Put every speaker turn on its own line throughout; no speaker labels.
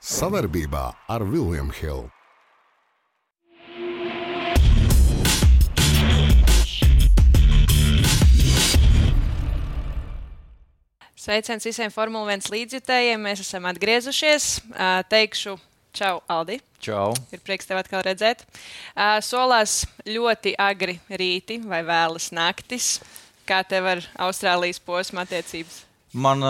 Savarbībā ar William Hill.
Sveiciens visiem Formula 1 līdzjutējiem. Mēs esam atgriezušies. Teikšu čau, Aldi.
Čau.
Ir prieks tev atkal redzēt. Solās ļoti agri rīti vai vēlas naktis. Kā tev ar Austrālijas posma attiecības?
Man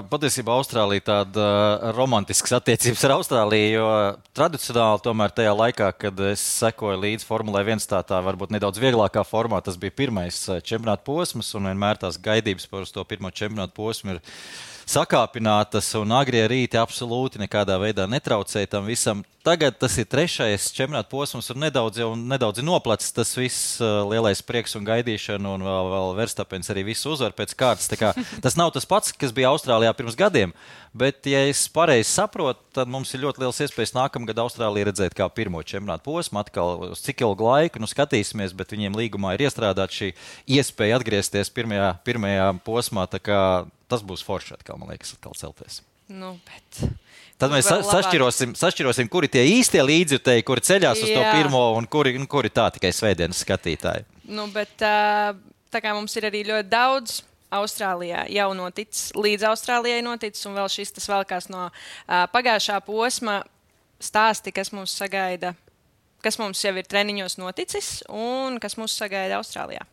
patiesībā Austrālija tāda romantiskas attiecības ar Austrāliju, jo tradicionāli tomēr tajā laikā, kad es sekoju līdz Formulai 1 tā varbūt nedaudz vieglākā formā, tas bija pirmais čempionāta posms, un vienmēr tās gaidības par to pirmo čempionāta posmu ir sakāpinātas, un agrie rīti absolūti nekādā veidā netraucēja tam visam. Tagad tas ir trešais čempionāta posms, un nedaudz noplacis tas viss lielais prieks un gaidīšana, un vēl Verstapens arī visu uzvar pēc kārtas. Tas nav tas pats, kas bija Austrālijā pirms gadiem, bet, ja es pareizi saprotu, tad mums ir ļoti liels iespējas nākamgad Austrāliju redzēt kā pirmo čempionāta posmu. Atkal uz cik ilgu laiku, skatīsimies, bet viņiem līgumā ir iestrādāta šī iespēja atgriezties pirmajā posmā, tā kā tas būs forši atkal, man liekas, atkal celties. Tad mēs sašķirosim, kuri tie īstie līdzjutēji, kuri ceļās uz to pirmo un kuri tā tikai svētdienas skatītāji.
Tā kā mums ir arī ļoti daudz Austrālijā jau noticis, līdz Austrālijai noticis, un vēl šis tas velkās no pagājušā posma stāsti, kas mūs sagaida, kas mums jau ir treniņos noticis un kas mūs sagaida Austrālijā.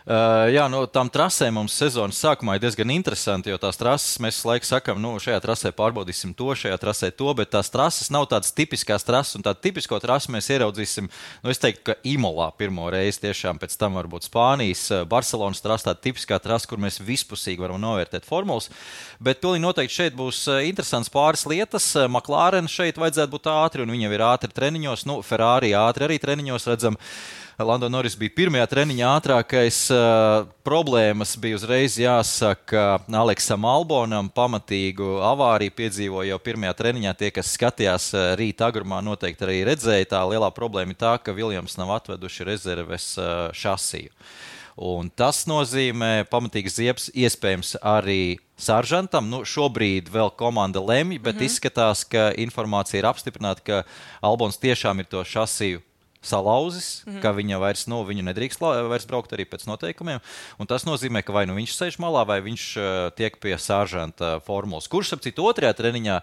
Jā, tām trasēm mums sezonas sākumā ir diezgan interesanti, jo tās trases mēs laiku sakam, šajā trasē pārbaudīsim to, šajā trasē to, bet tās trases nav tādas tipiskās trases, un tādu tipisko trasu mēs ieraudzīsim, es teiktu, ka Imolā pirmo reizi tiešām, pēc tam varbūt Spānijas, Barcelonas trasa, tāda tipiskā trasa, kur mēs vispusīgi varam novērtēt formulas, bet pilnīgi noteikti šeit būs interesants pāris lietas. McLaren šeit vajadzētu būt ātri, un viņi jau ir ātri treniņos, Ferrari ātri arī treniņos redzam. Lando Norris bija pirmajā treniņā ātrākais. Problēmas bija uzreiz jāsaka Aleksam Albonam. Pamatīgu avāriju piedzīvoja jau pirmajā treniņā. Tie, kas skatījās rīta agrumā, noteikti arī redzēja. Tā lielā problēma ir tā, ka Williams nav atveduši rezerves šasiju. Un tas nozīmē pamatīgs ziepes iespējams arī Saržantam. Šobrīd vēl komanda lemj, bet izskatās, ka informācija ir apstiprināta, ka Albons tiešām ir to šasiju salauzis, ka viņa viņu nedrīkst vairs braukt arī pēc noteikumiem. Un tas nozīmē, ka vai viņš sēž malā, vai viņš tiek pie Saržanta formulas. Kurš, ap citu, otrajā treniņā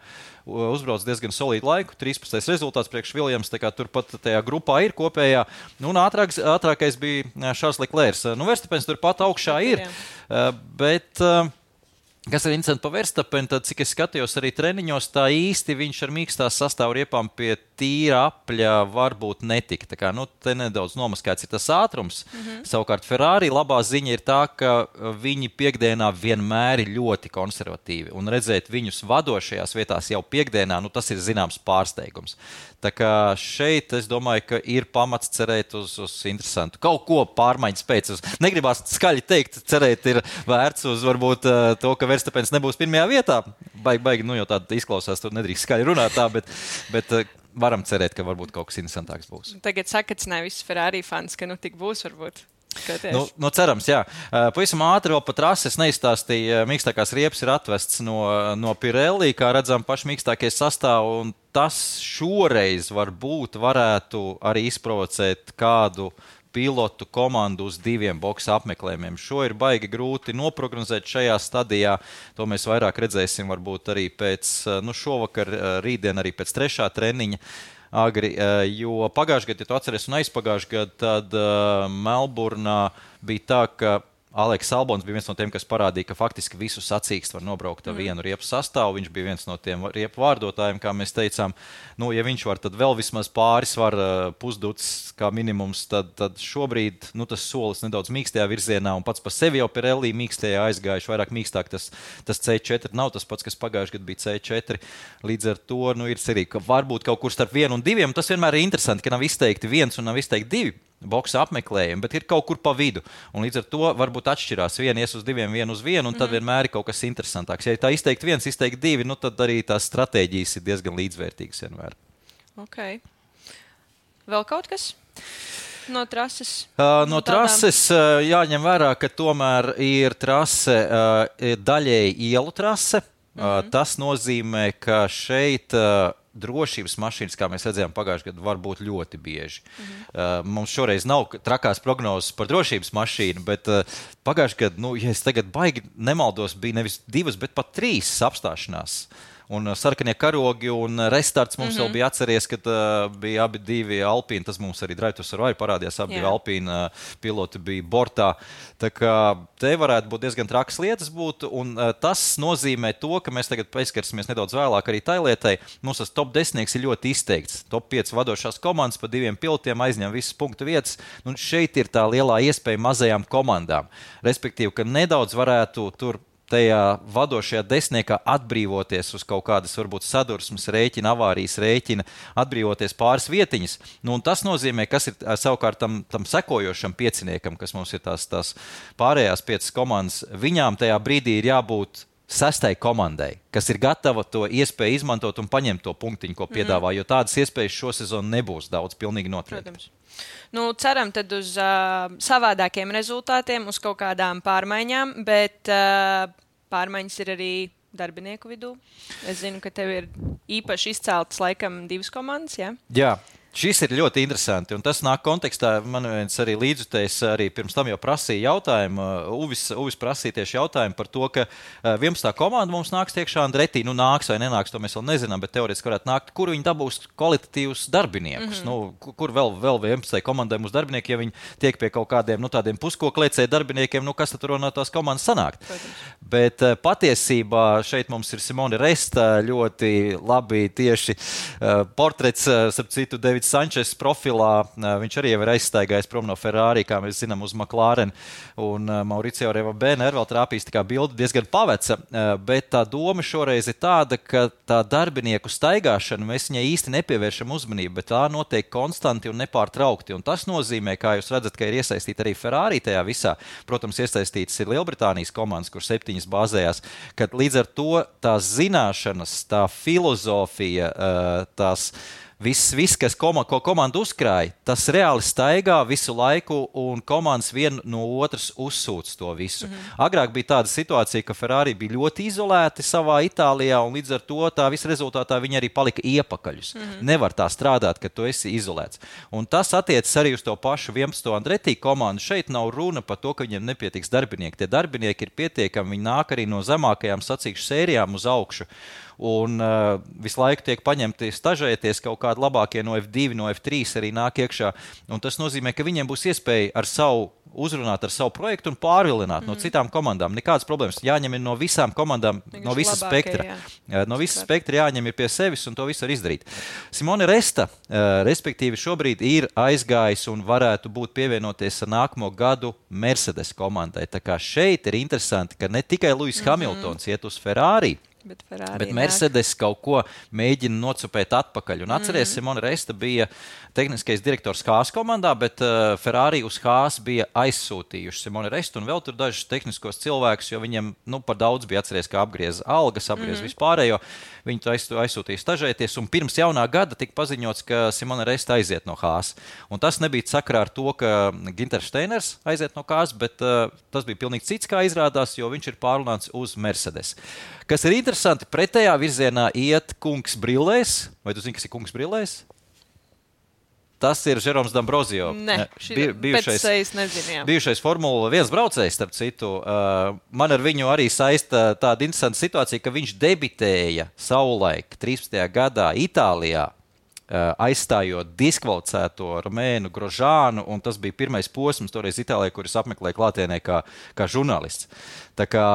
uzbrauc diezgan solīdu laiku, 13. rezultāts priekš Williams, tā kā turpat tajā grupā ir kopējā. Un ātrākais bija Charles Leclerc. Verstapens turpat augšā ir, bet kas ir interesanti par Verstapenu, tad, cik es skatījos arī treniņos, tā īsti viņš ar mīkstās sastāvriepām pie tīra apļa varbūt netika. Tā kā, te nedaudz nomaskāts ir tas ātrums. Savukārt Ferrari labā ziņa ir tā, ka viņi piekdienā vienmēr ir ļoti konservatīvi. Un redzēt viņus vadošajās vietās jau piekdienā, tas ir zināms pārsteigums. Tā kā šeit, es domāju, ka ir pamats cerēt uz interesantu. Kaut ko pārmaiņas pēc. Negribās skaļi teikt, cerēt ir vērts uz varbūt to, ka Verstapens nebūs pirmajā vietā. Baigi, jau tāda izklausās, tur nedrīkst skaļi runāt tā, bet varam cerēt, ka varbūt kaut kas interesantāks būs.
Tagad sakacināja visus Ferrari fans, ka tik būs varbūt.
Cerams, jā. Pavisam ātri vēl pa trasi es neizstāstīju. Mīkstākās riepas ir atvests no Pirelli, kā redzam, pašmīkstākie sastāvi, un tas šoreiz varētu arī izprovocēt kādu pilotu komandu uz 2 boksa apmeklējumiem. Šo ir baigi grūti noprognozēt šajā stadijā. To mēs vairāk redzēsim varbūt arī pēc šovakar, rītdien arī pēc 3. treniņa agri, jo pagājušajā gadā, ja tu atceries, un aizpagājušajā gadā, tad Melburnā bija tā, ka Aleks Albons bija viens no tiem, kas parādīja, ka faktiski visu sacīkstu var nobraukt ar vienu riepu sastāvu. Viņš bija viens no tiem riepu vārdotājiem, kā mēs teicām. Ja viņš var, tad vēl vismaz pāris var pusducis kā minimums, tad šobrīd tas solis nedaudz mīkstajā virzienā, un pats par sevi jau Pirelli mīkstajā aizgājuši, vairāk mīkstāk tas C4 nav tas pats, kas pagājušajā gadā bija C4. Līdz ar to ir cerīgi, ka varbūt kaut kur starp 1 un 2, un tas vienmēr ir interesanti, ka nav izteikti 1 un nav izteikti 2 boksa apmeklējumi, bet ir kaut kur pa vidu. Un līdz ar to varbūt atšķirās. Viena ies uz 2, viena uz 1, un tad vienmēr ir kaut kas interesantāks. Ja tā izteikti 1, izteikti 2, tad arī tās stratēģijas ir diezgan līdzvērtīgas vienmēr.
Ok. Vēl kaut kas no trases?
No trases jāņem vērā, ka tomēr ir trase daļēji ielu trase. Tas nozīmē, ka šeit drošības mašīnas, kā mēs redzējām pagājušajā gadā, var būt ļoti bieži. Mums šoreiz nav trakās prognozes par drošības mašīnu, bet pagājušajā gadā, ja es tagad baigi nemaldos, bija nevis 2, bet pat 3 apstāšanās. Un sarkanie karogi un restarts mums vēl bija atceries, kad bija abi 2 Alpīni. Tas mums arī Drive to Survive parādījās. Abi 2 Alpīni piloti bija bortā. Tā kā te varētu būt diezgan trakas lietas būt. Un tas nozīmē to, ka mēs tagad pieskarsimies nedaudz vēlāk arī tai lietai. Mums tas top 10 ir ļoti izteikts. Top 5 vadošās komandas pa 2 pilotiem aizņem visas punktu vietas. Un šeit ir tā lielā iespēja mazajām komandām. Respektīvi, ka nedaudz varētu tur tajā vadošajā desmitniekā atbrīvoties uz kaut kādas, varbūt, sadursmes rēķina, avārijas rēķina, atbrīvoties pāris vietiņas. Un tas nozīmē, kas ir savukārt tam sekojošam pieciniekam, kas mums ir tās pārējās 5 komandas, viņām tajā brīdī ir jābūt 6. komandai, kas ir gatava to iespēju izmantot un paņemt to punktiņu, ko piedāvā, jo tādas iespējas šo sezonu nebūs daudz, pilnīgi noteikti.
Ceram tad uz savādākiem rezultātiem, uz kaut kādām pārmaiņām, bet pārmaiņas ir arī darbinieku vidū. Es zinu, ka tev ir īpaši izceltas laikam 2 komandas, jā?
Jā. Šis ir ļoti interesanti, un tas nāk kontekstā. Man viens arī līdzutējs arī pirms tam jau prasīja jautājumu. Uvis prasīja tieši jautājumu par to, ka 11. komanda mums nāks tiekšā Andretī. Nāks vai nenāks, to mēs vēl nezinām, bet teorētiski varētu nākt. Kur viņi dabūs kvalitatīvus darbiniekus? Kur vēl 11. komandai mūsu darbinieki, ja viņi tiek pie kaut kādiem tādiem puskoklēcēju darbiniekiem, kas tad tur no tās komandas sanākt? Bet patiesībā šeit mums ir Simone Resta ļoti labi tieši portrets, starp citu, Sančes profilā. Viņš arī jau ir aizstaigājis prom no Ferrari, kā mēs zinām, uz McLaren. Un Mauricio Revabēner vēl trāpīs tā kā bilde diezgan paveca. Bet tā doma šoreiz ir tāda, ka tā darbinieku staigāšana, mēs viņai īsti nepievēršam uzmanību, bet tā notiek konstanti un nepārtraukti. Un tas nozīmē, kā jūs redzat, ka ir iesaistīta arī Ferrari tajā visā. Protams, iesaistītas ir Lielbritānijas komandas, kur 7 bāzējās. Kad līdz ar to tās zināšanas, tā filozofija, tās Viss, kas ko komanda uzkrāja, tas reāli staigā visu laiku, un komandas viena no otras uzsūc to visu. Agrāk bija tāda situācija, ka Ferrari bija ļoti izolēti savā Itālijā, un līdz ar to tā visa rezultātā viņi arī palika iepakaļus. Nevar tā strādāt, ka tu esi izolēts. Un tas attiecas arī uz to pašu 11. Andretī komandu. Šeit nav runa par to, ka viņiem nepietiks darbinieki. Tie darbinieki ir pietiekami, viņi nāk arī no zemākajām sacīkšu sērijām uz augšu. Un visu laiku tiek paņemti stažēties, kaut kādi labākie no F2, no F3 arī nāk iekšā. Un tas nozīmē, ka viņiem būs iespēja uzrunāt ar savu projektu un pārvilināt no citām komandām. Nekādas problēmas. Jāņem ir no visām komandām, no visas spektra. No visas spektra jāņem ir pie sevis un to visu var izdarīt. Simone Resta, respektīvi, šobrīd ir aizgājis un varētu būt pievienoties ar nākamo gadu Mercedes komandai. Tā kā šeit ir interesanti, ka ne tikai Lewis Hamiltons iet uz Ferrari, bet Mercedes kaut ko mēģina nocupēt atpakaļ. Un atceries, Simone Resta bija tehniskais direktors Haas komandā, bet Ferrari uz Haas bija aizsūtījuši Simone Restu un vēl tur dažus tehniskos cilvēkus, jo viņiem par daudz bija atceries, kā apgriez algas, apgriez vispārējo. Viņi to aizsūtīja stažēties, un pirms jaunā gada tika paziņots, ka Simone Resta aiziet no Haas. Un tas nebija sakarā ar to, ka Günther Steiners aiziet no Haas, bet tas bija pilnīgi cits, kā izrādās, jo viņš ir pārlunāts uz Mercedes. Kas ir interesanti, pretējā virzienā iet kungs brillēs. Vai tu zini, kas ir kungs brillēs? Tas ir Žeroms D'Ambrosio. Bijušais Formula 1 braucējs, starp citu. Man ar viņu arī saista tāda interesanta situācija, ka viņš debitēja savulaik 13. gadā Itālijā, aizstājot diskvalificēto Romēnu Grožānu, un tas bija pirmais posms toreiz Itālijā, kuris apmeklēja klātienē kā žurnālists. Tā kā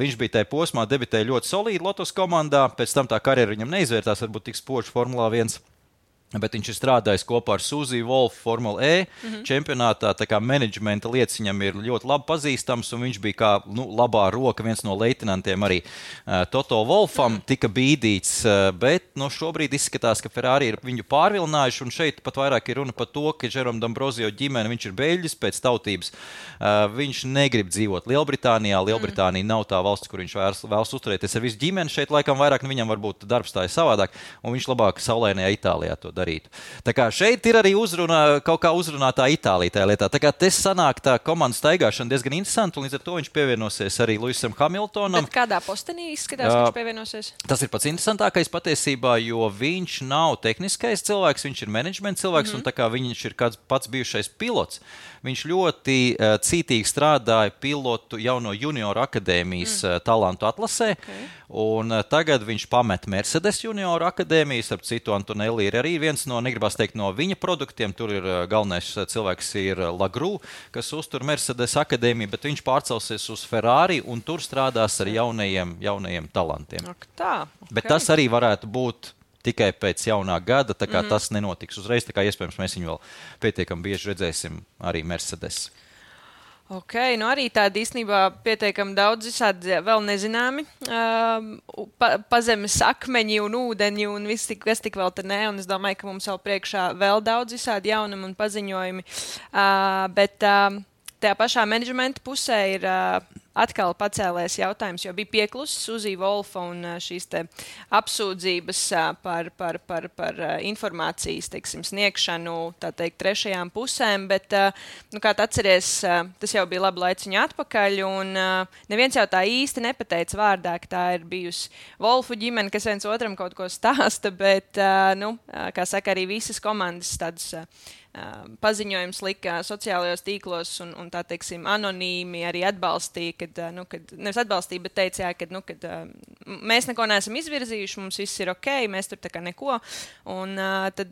viņš bija tajā posmā, debitēja ļoti solīdi Lotus komandā, pēc tam tā karjera viņam neizvērtās, varbūt tik spoži Formulā 1. Bet viņš ir strādājis kopā ar Suzy Wolf Formula E čempionātā, tā kā menedžmenta lietas viņam ir ļoti labi pazīstams, un viņš bija kā labā roka, viens no leitinantiem arī Toto Wolfam, tika bīdīts, bet šobrīd izskatās, ka Ferrari ir viņu pārvilinājuši, un šeit pat vairāk ir runa par to, ka Žerom D'Ambrosio ģimene, viņš ir beļģis pēc tautības, viņš negrib dzīvot Lielbritānijā, Lielbritānija nav tā valsts, kur viņš vēlas uzturēties ar visu ģimeni, šeit laikam vairāk viņam varbūt darbs tā ir savādāk, un viņš labāk saulainajā Itālijā to darīt. darītu. Tā kā šeit ir arī kaut kā uzrunātā Itālija tajā lietā. Tā kā te sanāk tā komandas staigāšana diezgan interesanti, un līdz ar to viņš pievienosies arī Lewisam Hamiltonam.
Bet kādā postenī izskatās, ka viņš pievienosies?
Tas ir pats interesantākais patiesībā, jo viņš nav tehniskais cilvēks, viņš ir menedžmenta cilvēks, un tā kā viņš ir kāds pats bijušais pilots, viņš ļoti cītīgi strādāja pilotu jau no junior akadēmijas talantu atlasē, un tagad viņš pamet Mercedes junior akadēmijas, ap citu Antonelli ir arī viens no, negribas teikt, no viņa produktiem, tur ir galvenais cilvēks ir Lagru, kas uztur Mercedes akadēmiju, bet viņš pārcelsies uz Ferrari un tur strādās ar jaunajiem talantiem.
Tā,
bet tas arī varētu būt tikai pēc jaunā gada, tā kā tas nenotiks uzreiz, tā kā iespējams mēs viņu vēl pietiekami bieži redzēsim arī Mercedes.
Ok, nu arī tādi īstenībā pietiekami daudz visādi vēl nezināmi pazemes akmeņi un ūdeņi un viss, kas tik vēl te nē, un es domāju, ka mums vēl priekšā vēl daudz visādi jaunumi un paziņojumi, bet tajā pašā menedžmenta pusē ir atkal pacēlēs jautājums, jo bija pieklusis Uzi Wolfa un šīs te apsūdzības par informācijas, teiksim, sniegšanu, tā teikt, trešajām pusēm, bet, kā atceries, tas jau bija labi laiciņu atpakaļ, un neviens jau tā īsti nepateica vārdā, ka tā ir bijusi Wolfu ģimene, kas viens otram kaut ko stāsta, bet, kā saka, arī visas komandas tādas paziņojums lika sociālajos tīklos un tā teiksim anonīmi arī atbalstīja, kad nevis atbalstīja, bet teica, kad mēs neko neesam izvirzījuši, mums viss ir ok, mēs tur tā kā neko, un tad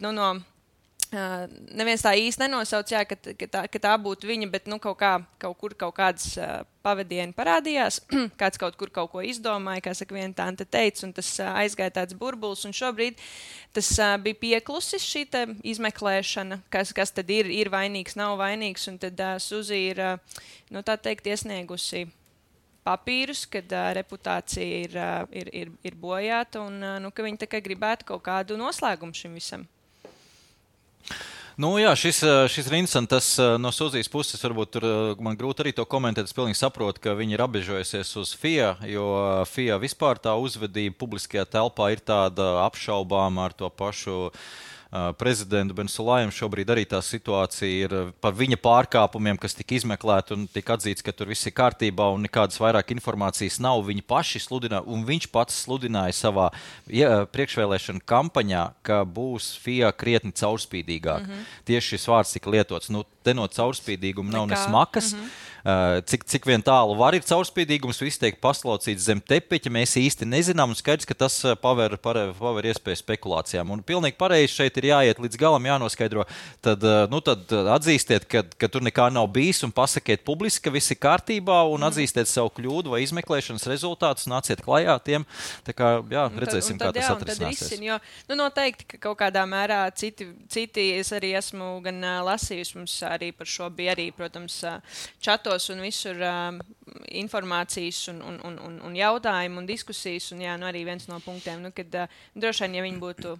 neviens tā īsti nenosauc, ka tā būtu viņa, bet kaut kādas pavadieni parādījās, kāds kaut kur kaut ko izdomāja, kā saka viena tante teica, un tas aizgāja tāds burbulis, un šobrīd tas bija pieklusis šī izmeklēšana, kas tad ir vainīgs, nav vainīgs, un tad Suzi ir, tā teikt, iesniegusi papīrus, kad reputācija ir bojāta, un ka viņi tā kā gribētu kaut kādu noslēgumu šim visam.
Jā, šis ir interesanti. Tas no Suzijas puses varbūt tur man grūti arī to komentēt. Es pilnīgi saprotu, ka viņi ir apbežojusies uz FIA, jo FIA vispār tā uzvedība publiskajā telpā ir tāda apšaubāma ar to pašu prezidentu Bensulājam. Šobrīd arī tā situācija ir par viņa pārkāpumiem, kas tika izmeklēti un tika atzīts, ka tur viss ir kārtībā un nekādas vairāk informācijas nav. Viņi paši sludināja, un viņš pats sludināja savā priekšvēlēšana kampaņā, ka būs FIA krietni caurspīdīgāk. Tieši šis vārds tika lietots. Te no caurspīdīguma nav ne smakas. Cik vien tālu var ir caurspīdīgums, viss tiek paslaucīts zem tepiķa, mēs īsti nezinām, un skaidrs, ka tas paver iespēju spekulācijām. Un pilnīgi pareizi šeit ir jāiet līdz galam, jānoskaidro. Tad atzīstiet, ka tur nekā nav bijis, un pasakiet publiski, ka viss ir kārtībā, un atzīstiet savu kļūdu vai izmeklēšanas rezultātus, nāciet klajā tiem. Tā kā, redzēsim, kā tas atrisināsies.
Jo, noteikti, ka kaut kādā mērā citi es arī esmu gan lasījusi, mums arī par šo bija arī, protams, čatos un visur informācijas un jautājumu un diskusijas, un arī viens no punktiem, kad droši vien, ja viņi būtu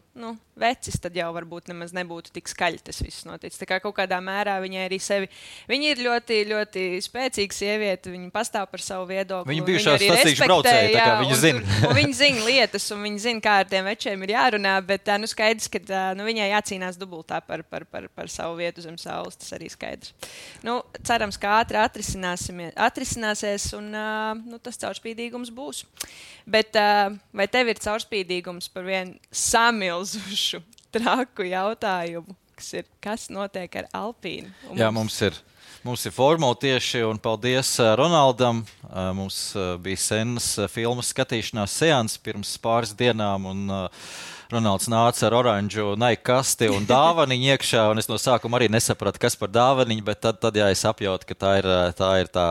vecis, tad jau varbūt nemaz nebūtu tik skaļi tas viss noticis. Tā kā kaut kādā mērā viņai arī sevi, viņa ir ļoti, ļoti spēcīga sieviete, viņa pastāv par savu viedokli.
Viņa bijušā sacīkšu braucēja, tā kā viņa zina.
Un viņa zina lietas, un viņa zina, kā ar tiem večiem ir jārunā, bet skaidrs, ka viņai jācīnās dubultā par savu vietu zem saules, tas arī skaidrs. Cerams, ka ātri atrisināsies, un tas caurspīdīgums būs. Bet vai tev ir caurspīdīgums par vienu samilzušu traku jautājumu, kas notiek ar Alpīnu?
Jā, mums ir formula tieši, un paldies Ronaldam. Mums bija senas filmas skatīšanās seans pirms pāris dienām, un Ronalds nāca ar oranžu naikasti un dāvaniņu iekšā, un es no sākuma arī nesapratu, kas par dāvaniņu, bet tad es apjautu, ka tā ir tā,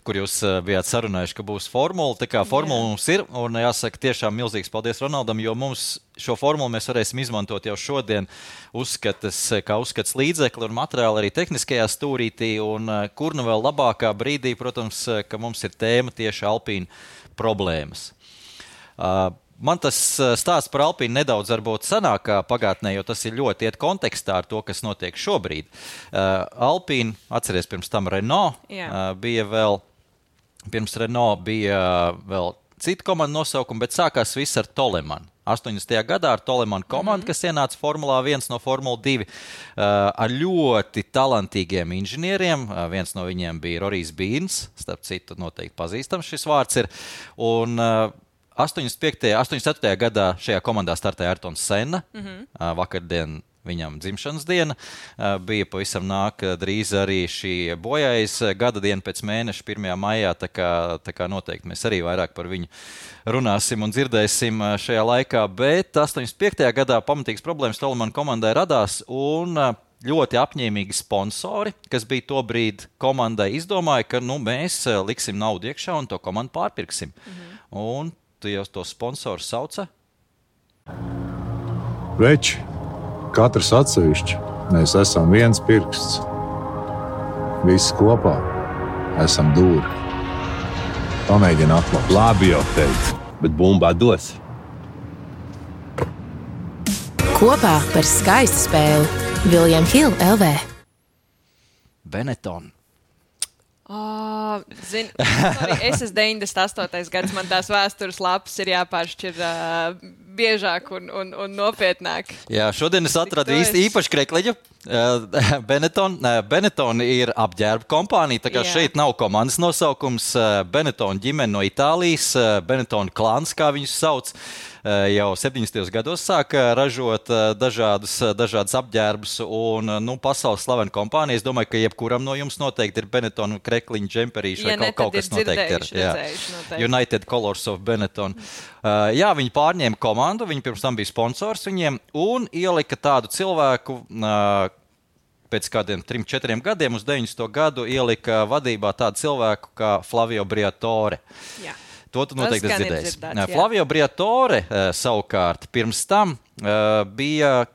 kur jūs bijāt sarunājuši, ka būs formula. Tā kā formula mums ir, un jāsaka tiešām milzīgs paldies Ronaldam, jo mums šo formulu mēs varēsim izmantot jau šodien kā uzskats līdzekli un materiāli arī tehniskajā stūrītī, un kur nu vēl labākā brīdī, protams, ka mums ir tēma tieši Alpīna problēmas. Man tas stāsts par Alpīnu nedaudz varbūt sanāk pagātnē, jo tas ir ļoti iet kontekstā ar to, kas notiek šobrīd. Alpīna, atceries, pirms tam Renault bija vēl, pirms Renault bija vēl cita komanda nosaukuma, bet sākās viss ar Tolemanu. 80. gadā ar Tolemanu komandu, kas ienāca Formulā 1 no Formula 2 ar ļoti talantīgiem inženieriem. Viens no viņiem bija Rorijs Bīrns, starp citu noteikti pazīstams šis vārds ir. Un 84. gadā šajā komandā startēja Ayrtons Senna. Vakardien viņam dzimšanas diena. Bija pavisam drīz arī šī bojājas gada diena pēc mēneša 1. maijā, tā kā noteikti mēs arī vairāk par viņu runāsim un dzirdēsim šajā laikā, bet 85. gadā pamatīgas problēmas Tolemanu komandai radās un ļoti apņēmīgi sponsori, kas bija to brīdi komandai, izdomāja, ka mēs liksim naudu iekšā un to komandu pārpirksim. Un tu jau to sponsoru sauca?
Veči, katrs atsevišķi, mēs esam viens pirksts. Visi kopā esam dūri. Pamēģini atklāt.
Labi jau teicu, bet bumba dos.
Kopā par skaistu spēli William Hill LV.
Benetton.
Sorry, es esmu 98. gads, man tās vēstures lapas ir jāpāršķir biežāk un nopietnāk.
Jā, šodien es atradu īpaši krekliņu. Benetton ir apģērba kompānija, tā kā šeit nav komandas nosaukums. Benetton ģimene no Itālijas, Benetton klāns, kā viņus sauc. Jau 70. gados sāka ražot dažādas apģērbus un pasaules slavena kompānija. Es domāju, ka jebkuram no jums noteikti ir Benetton krekliņu, džemperīši vai kaut kas noteikti ir. United Colors of Benetton. Jā, viņi pārņēma komandu, viņi pirms tam bija sponsors viņiem un ielika tādu cilvēku, pēc kādiem 3-4 gadiem uz 90. gadu ielika vadībā tādu cilvēku kā Flavio Briatore.
Jā.
To tu noteikti dzirdēsi. Flavio Briatore savukārt pirms tam bija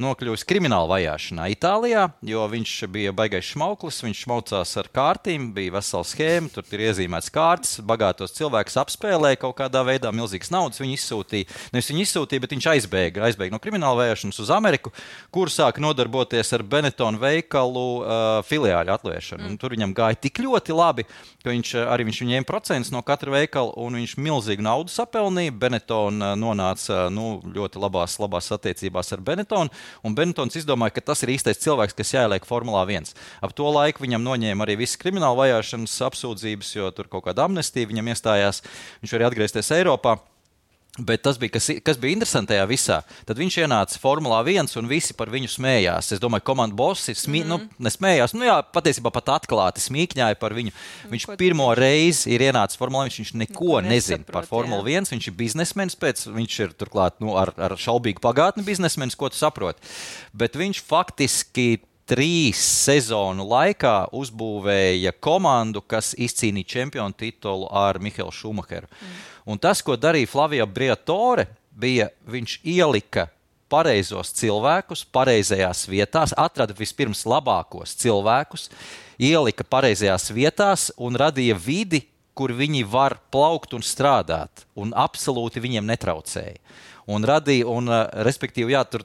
nokļuvis krimināla vajāšanā Itālijā, jo viņš bija baigais šmauklis, viņš šmaucās ar kārtīm, bija vesela schēma, tur ir iezīmēts kārtas, bagātos cilvēkus apspēlēja kaut kādā veidā, milzīgas naudas viņi izsūtīja. Nevis viņi izsūtīja, bet viņš aizbēga no krimināla vajāšanas uz Ameriku, kur sāka nodarboties ar Benetton veikalu filiāļu atvēršanu. Un tur viņam gāja tik ļoti labi, ka viņš ņēma procentus no katra veikala un viņš milzīgu naudu sapelnīja. Benetton nonāca ļoti labās attiecībās ar Benettonu. Un Benettons izdomāja, ka tas ir īstais cilvēks, kas jāieliek Formulā 1. Ap to laiku viņam noņēma arī visas krimināla vajāšanas apsūdzības, jo tur kaut kāda amnestija viņam iestājās. Viņš varēja atgriezties Eiropā. Bet tas bija, kas bija interesanti tajā visā. Tad viņš ienāca Formulā 1 un visi par viņu smējās. Es domāju, komandu bossi nesmējās. Patiesībā pat atklāti smīkņāja par viņu. Viņš pirmo reizi ir ienācis Formulā 1, viņš neko nezina par Formulu 1. Viņš ir biznesmenis viņš ir turklāt ar šaubīgu pagātni biznesmenis, ko tu saproti. Bet viņš faktiski 3 sezonu laikā uzbūvēja komandu, kas izcīnīja čempionu titulu ar Mihaelu Šumacheru. Un tas, ko darīja Flavio Briatore, bija, viņš ielika pareizos cilvēkus, pareizajās vietās, atrada vispirms labākos cilvēkus, ielika pareizajās vietās un radīja vidi, kur viņi var plaukt un strādāt, un absolūti viņiem netraucēja. Un respektīvi, tur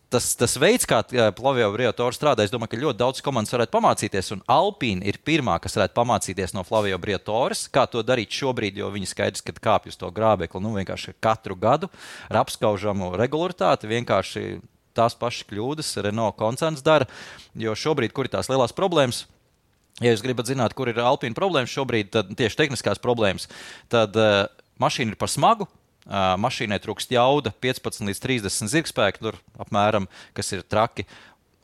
tas veids, kā Flavio Briatore strādā, es domāju, ka ļoti daudz komandas varētu pamācīties, un Alpine ir pirmā, kas varētu pamācīties no Flavio Briatores, kā to darīt šobrīd, jo viņi skaidrs, kad kāpj uz to grābekli, vienkārši katru gadu ar apskaužamu regularitāti, vienkārši tās pašas kļūdas Renault koncerns dara, jo šobrīd, kur ir tās lielās problēmas, ja jūs gribat zināt, kur ir Alpine problēmas šobrīd, tad tieši tehniskās problēmas, tad mašīna ir par smagu, mašīnai trūkst jauda 15 līdz 30 zirgspēku, tur apmēram, kas ir traki,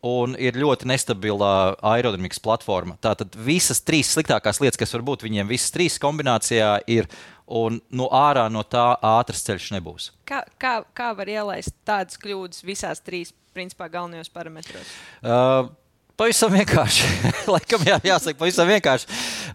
un ir ļoti nestabila aerodinamikas platforma. Tātad visas 3 sliktākās lietas, kas var būt, viņiem visas 3 kombinācijā ir, un ārā no tā ātrs ceļš nebūs.
Kā var ielaist tādas kļūdas visās 3, principā, galvenajos parametros?
Pavisam vienkārši. Laikam jāsaka, pavisam vienkārši.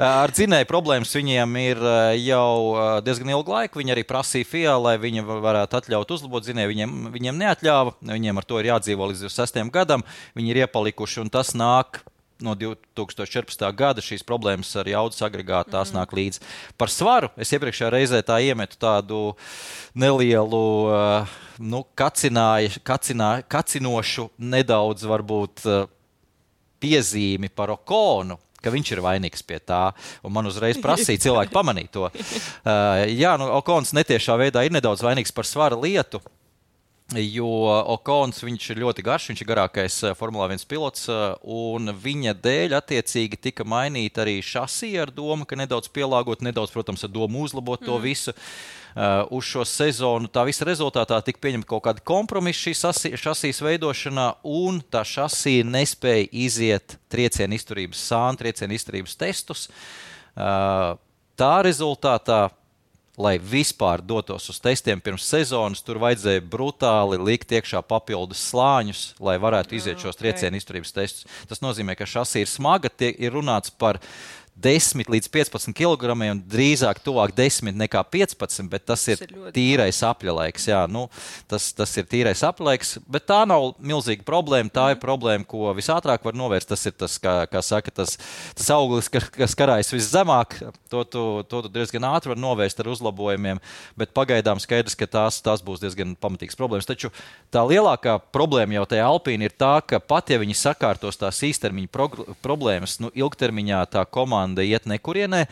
Ar dzinēju problēmas viņiem ir jau diezgan ilgu laiku. Viņi arī prasīja FIA, lai viņi varētu atļaut uzlabot dzinēju. Viņiem neatļāva. Viņiem ar to ir jādzīvo līdz 26. gadam. Viņi ir iepalikuši, un tas nāk no 2014. gada. Šīs problēmas ar jaudas agregātu tās nāk līdz. Par svaru es iepriekšējā reizē tā iemetu tādu nelielu kacinošu, nedaudz varbūt piezīmi par Okonu, ka viņš ir vainīgs pie tā, un man uzreiz prasīja cilvēki pamanīt to. Okons netiešā veidā ir nedaudz vainīgs par svara lietu, jo Okons viņš ir ļoti garš, viņš ir garākais Formulā 1 pilots, un viņa dēļ attiecīgi tika mainīta arī šasī ar domu, ka nedaudz pielāgot, nedaudz, protams, ar domu uzlabot to visu. Uz šo sezonu tā visa rezultātā tika pieņemta kaut kāda kompromisa šī šasīs veidošanā, un tā šasī nespēja iziet trieciena izturības sānu, trieciena izturības testus. Tā rezultātā, lai vispār dotos uz testiem pirms sezonas, tur vajadzēja brutāli likt iekšā papildus slāņus, lai varētu iziet šos trieciena izturības testus. Tas nozīmē, ka šasī ir smaga, ir runāts par 10 līdz 15 kg, un drīzāk tuvāk 10 nekā 15, bet tas ir tīrais apļalaiks. Jā, tas ir tīrais apļalaiks, bet tā nav milzīga problēma. Tā ir problēma, ko visātrāk var novērst. Tas ir tas, kā saka, tas auglis, kas karājas viszemāk. To tu diezgan ātri var novērst ar uzlabojumiem, bet pagaidām skaidrs, ka tās būs diezgan pamatīgas problēmas. Taču tā lielākā problēma jau tajā Alpīna ir tā, ka pat ja viņi sakārtos tās īstermiņa problēmas, ilgtermiņā tā komanda iet nekurienē,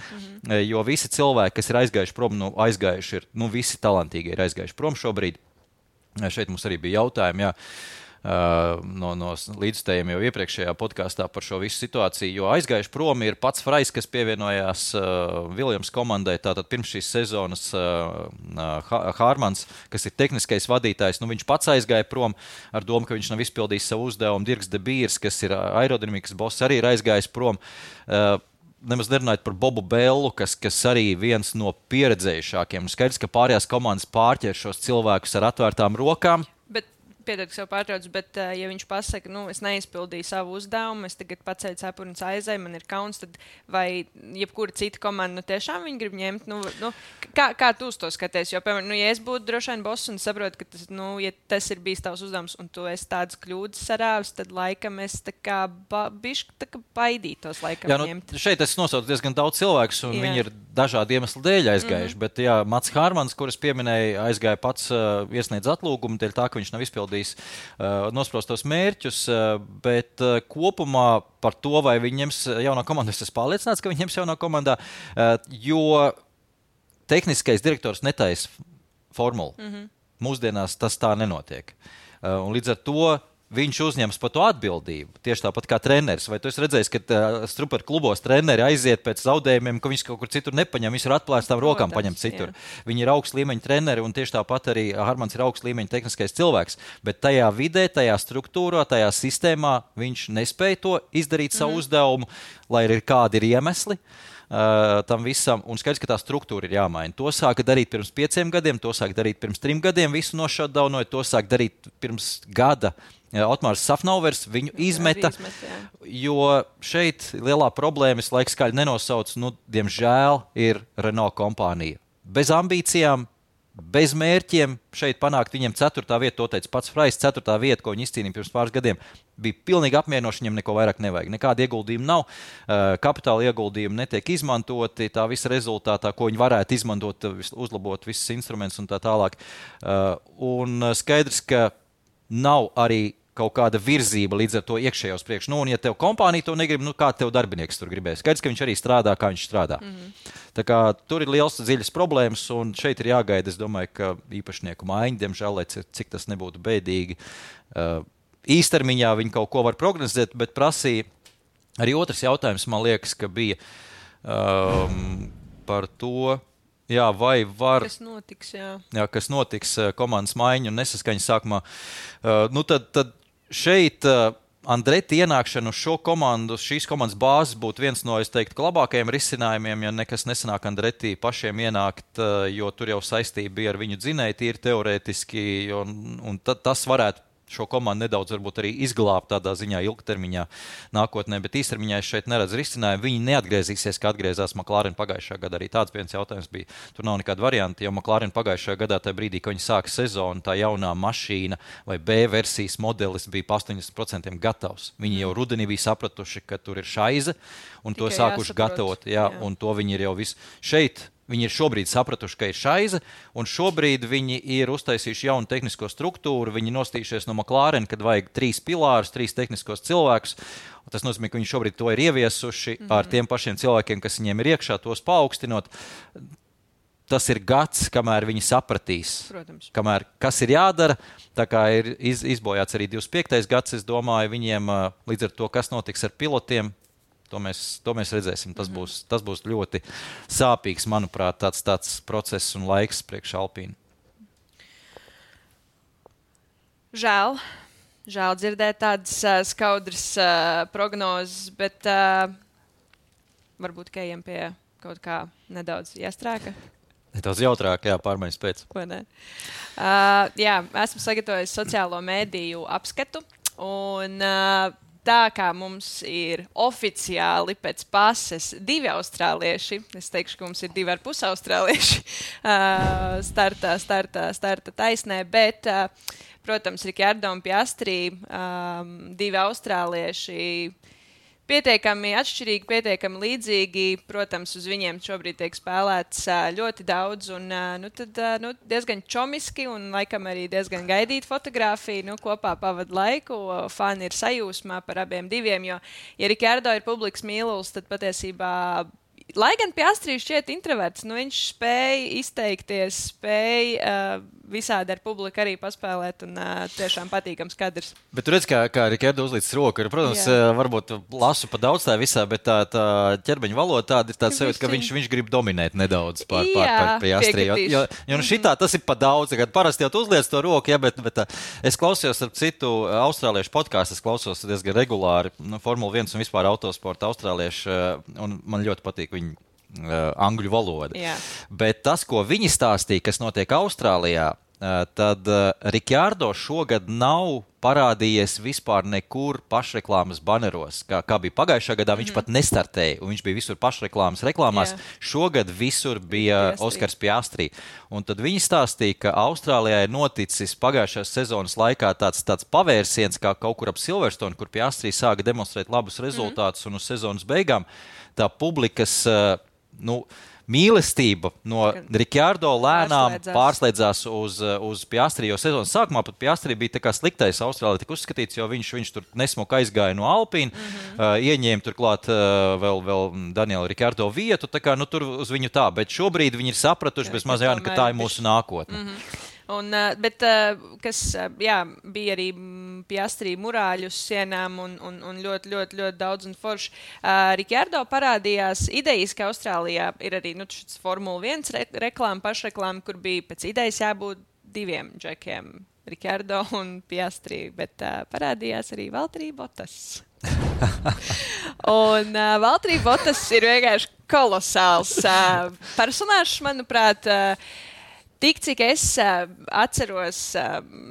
jo visi cilvēki, kas ir aizgājuši prom, aizgājuši ir, visi talantīgi ir aizgājuši prom šobrīd. Šeit mums arī bija jautājumi, no līdzstējiem jau iepriekšējā podkāstā par šo visu situāciju, jo aizgājuši prom ir pats Frais, kas pievienojās Williams komandai, tātad pirms šīs sezonas Hārmans, kas ir tehniskais vadītājs, viņš pats aizgāja prom ar domu, ka viņš nav izpildījis savu uzdevumu. Dirks de Beers, kas ir aerodinamikas boss, arī ir aizgājis prom. Nemaz nerunājot par Bobu Bellu, kas arī viens no pieredzējušākiem. Skaidrs, ka pārējās komandas pārķer šos cilvēkus ar atvērtām rokām.
Piedod, ka sev pārtrauc, bet ja viņš pasaka, es neizpildīju savu uzdevumu, es tagad paceļu cepuri un aizēju, man ir kauns, tad vai jebkura cita komanda tiešām viņi grib ņemt? Kā tu uz to skaties? Jo, piemēram, ja es būtu droši vien boss un saprotu, ka tas, ja tas ir bijis tavs uzdevums un tu esi tādas kļūdas sarāvis, tad laikam es tā kā bišķi baidītos ņemt.
Šeit es nosaucu diezgan daudz cilvēkus, un viņi ir dažādi iemesli dēļ aizgājuši, bet Mats Hārmans, kurus pieminēja, aizgāja pats iesniedz atlūgumu dēļ tā, ka viņš nav izpildījis nospraustos mērķus, bet kopumā par to, vai viņi ņems jaunā komandā, es esmu pārliecināts, ka viņi ņems jaunā komandā, jo tehniskais direktors netaisa formulu. Mūsdienās tas tā nenotiek. Un līdz ar to viņš uzņems par to atbildību. Tieši tāpat kā treneris. Vai tu esi redzējis, ka Struper klubos treneri aiziet pēc zaudējumiem, ka viņš kaut kur citur nepaņem, viņš ir atplēstām rokām paņemt citur. Viņi ir augsts līmeņa treneri, un tieši tāpat arī Hārmans ir augsts līmeņa tehniskais cilvēks. Bet tajā vidē, tajā struktūrā, tajā sistēmā viņš nespēja to izdarīt savu uzdevumu, lai arī kādi ir iemesli tam visam, un skaidrs, ka tā struktūra ir jāmaina. To sāka darīt pirms 5 gadiem, to sāka darīt pirms 3 gadiem, visu nošatdaunoja, to sāka darīt pirms gada. Otmārs Safnauvers viņu izmeta, jo šeit lielā problēma, es laiks skaļi nenosaucu, diemžēl ir Renault kompānija. Bez ambīcijām, bez mērķiem šeit panākt viņiem 4. vietu, to teica pats Frais, 4. vieta, ko viņi izcīnīja pirms pāris gadiem, bija pilnīgi apmierinoši, viņiem neko vairāk nevajag. Nekāda ieguldījuma nav, kapitāla ieguldījumi netiek izmantoti, tā visa rezultātā, ko viņi varētu izmantot, uzlabot visus instrumentus un tā tālāk. Un skaidrs, ka nav arī kaut kāda virzība līdz ar to iekšējos priekš. Un ja tev kompānija to negrib, kā tev darbinieks tur gribēs? Skaidrs, ka viņš arī strādā, kā viņš strādā. Tā kā tur ir liels dziļas problēmas, un šeit ir jāgaida, es domāju, ka īpašnieku maiņa, diemžēl, lai cik tas nebūtu bēdīgi. Īstermiņā viņi kaut ko var prognozēt, bet prasīja arī otrs jautājums, man liekas, ka bija par to, vai var...
Kas notiks,
kas notiks komandas maiņa un nesaskaņa sākumā. Tad šeit Andreti ienākšana uz šo komandu, šīs komandas bāzes būtu viens no, es teiktu, labākajiem risinājumiem, ja nekas nesanāk Andreti pašiem ienākt, jo tur jau saistība bija ar viņu dzinēju tīri teorētiski, un tas varētu šo komandu nedaudz varbūt arī izglābt tādā ziņā ilgtermiņā nākotnē, bet īstermiņā es šeit neredzu risinājumu. Viņi neatgriezīsies, kā atgriezās McLaren pagājušajā gadā. Arī tāds viens jautājums bija. Tur nav nekāda varianta, jo McLaren pagājušajā gadā, tajā brīdī, kad viņi sāka sezonu, tā jaunā mašīna vai B versijas modelis bija pa 80% gatavs. Viņi jau rudenī bija sapratuši, ka tur ir šaize, un tikai to sākuši gatavot. Un to viņi ir jau visu. Šeit Viņi ir šobrīd sapratuši, ka ir šaize, un šobrīd viņi ir uztaisījuši jaunu tehnisko struktūru. Viņi nostījušies no McLaren, kad vajag 3 pilārus, 3 tehniskos cilvēkus. Un tas nozīmē, ka viņi šobrīd to ir ieviesuši ar tiem pašiem cilvēkiem, kas viņiem ir iekšā, tos paaugstinot. Tas ir gads, kamēr viņi sapratīs, kas ir jādara. Tā kā ir izbojāts arī 25. gads, es domāju, viņiem līdz ar to, kas notiks ar pilotiem, to mēs redzēsim. Tas būs ļoti sāpīgs, manuprāt, tāds process un laiks priekš Alpīnu.
Žēl dzirdēt tādas skaudras prognozes, bet varbūt Kejam pie kaut kā nedaudz iestrēka.
Nedaudz jautrāk, pārmaiņas pēc.
Esmu sagatavojis sociālo mēdīju apskatu, un tā kā mums ir oficiāli pēc pases 2 austrālieši, es teikšu, ka mums ir 2,5 austrālieši starta taisnē, bet, protams, Ricciardo un Piastri, 2 austrālieši, pietiekami atšķirīgi, pietiekami līdzīgi. Protams, uz viņiem šobrīd tiek spēlēts ļoti daudz un diezgan čomiski un laikam arī diezgan gaidīt fotogrāfiju. Kopā pavada laiku, fani ir sajūsmā par abiem diviem, jo, ja Ricciardo ir publikas mīlulis, tad patiesībā, lai gan Piastri šķiet introverts, viņš spēja izteikties, spēja visādi ar publiku arī paspēlēt un tiešām patīkams kadrs.
Bet tu redz, kā Ricciardo uzlīdz roku. Protams, varbūt lasu pa daudz tā visā, bet tā ķermeņa valoda tāda ir tāds sajūta, ka viņš grib dominēt nedaudz pār Piastri. Jo šitā tas ir pa daudz. Parasti jau tu uzliec to roku, bet es klausījos ar citu austrāliešu podcastu, es klausos diezgan regulāri Formula 1 un vispār autosporta austrāliešu, un man ļoti patīk viņu angļu valoda. Bet tas, ko viņi stāstīja, kas notiek Austrālijā, tad Ricciardo šogad nav parādījies vispār nekur pašreklāmas baneros. Kā bija pagājušā gadā, viņš pat nestartēja, un viņš bija visur reklāmās. Šogad visur bija Oskars Piastri. Un tad viņi stāstīja, ka Austrālijā ir noticis pagājušās sezonas laikā tāds pavērsiens, kā kaut kur ap Silverstone, kur Piastri sāka demonstrēt labus rezultātus, un uz sezonas beigām tā publikas mīlestība no Ricciardo lēnām pārslēdzās uz Piastri, jo sezonas sākumā pat Piastri bija tā kā sliktais Austrālijā tik uzskatīts, jo viņš tur nesmuka aizgāja no Alpīna, ieņēma turklāt vēl Daniela Ricciardo vietu, tā kā tur uz viņu tā, bet šobrīd viņi ir sapratuši bez mazajā, ka tā ir mūsu nākotne.
Bet kas bija arī Piastri murāļu sienām un ļoti, ļoti, ļoti daudz un forši. Ricciardo parādījās idejas, ka Austrālijā ir arī šis Formula 1 reklāma, pašreklāma, kur bija pēc idejas jābūt 2 džekiem, Ricciardo un Piastri, bet parādījās arī Valtteri Bottas. Un Valtteri Bottas ir vienkārši kolosāls personāžs, manuprāt. Tik, cik es atceros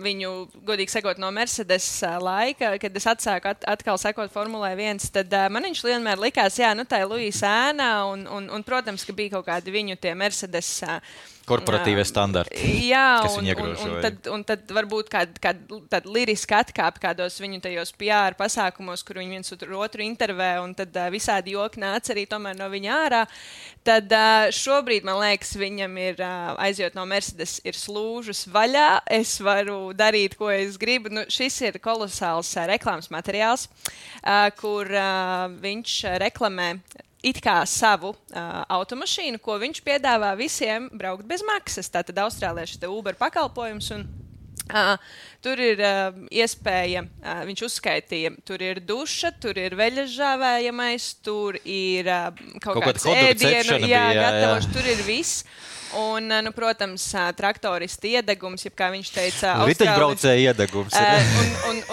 viņu, godīgi sakot, no Mercedes laika, kad es atsāku atkal sekot Formulai 1, tad man viņš vienmēr likās, tā ir Luisa ēnā, un, protams, ka bija kaut kādi viņu tie Mercedes
korporatīvie standarti, kas viņi iegrožoja.
Un tad varbūt kāda liriska atkāpe kādos viņu tajos PR pasākumos, kur viņi viens otru intervē, un tad visādi joki nāca arī tomēr no viņa ārā. Tad šobrīd, man liekas, viņam ir aizjot no Mercedes, ir slūžas vaļā, es varu darīt, ko es gribu. Šis ir kolosāls reklāmas materiāls, kur viņš reklamē it kā savu automašīnu, ko viņš piedāvā visiem braukt bez maksas. Tātad austrālieši te Uber pakalpojums un tur ir iespēja, viņš uzskaitīja, tur ir duša, tur ir veļas žāvējamais, tur ir kaut kāds ēdienu, gatavošs, tur ir viss. Un, protams, traktorista iedegums, jeb kā viņš teica,
riteņbraucēja iedegums.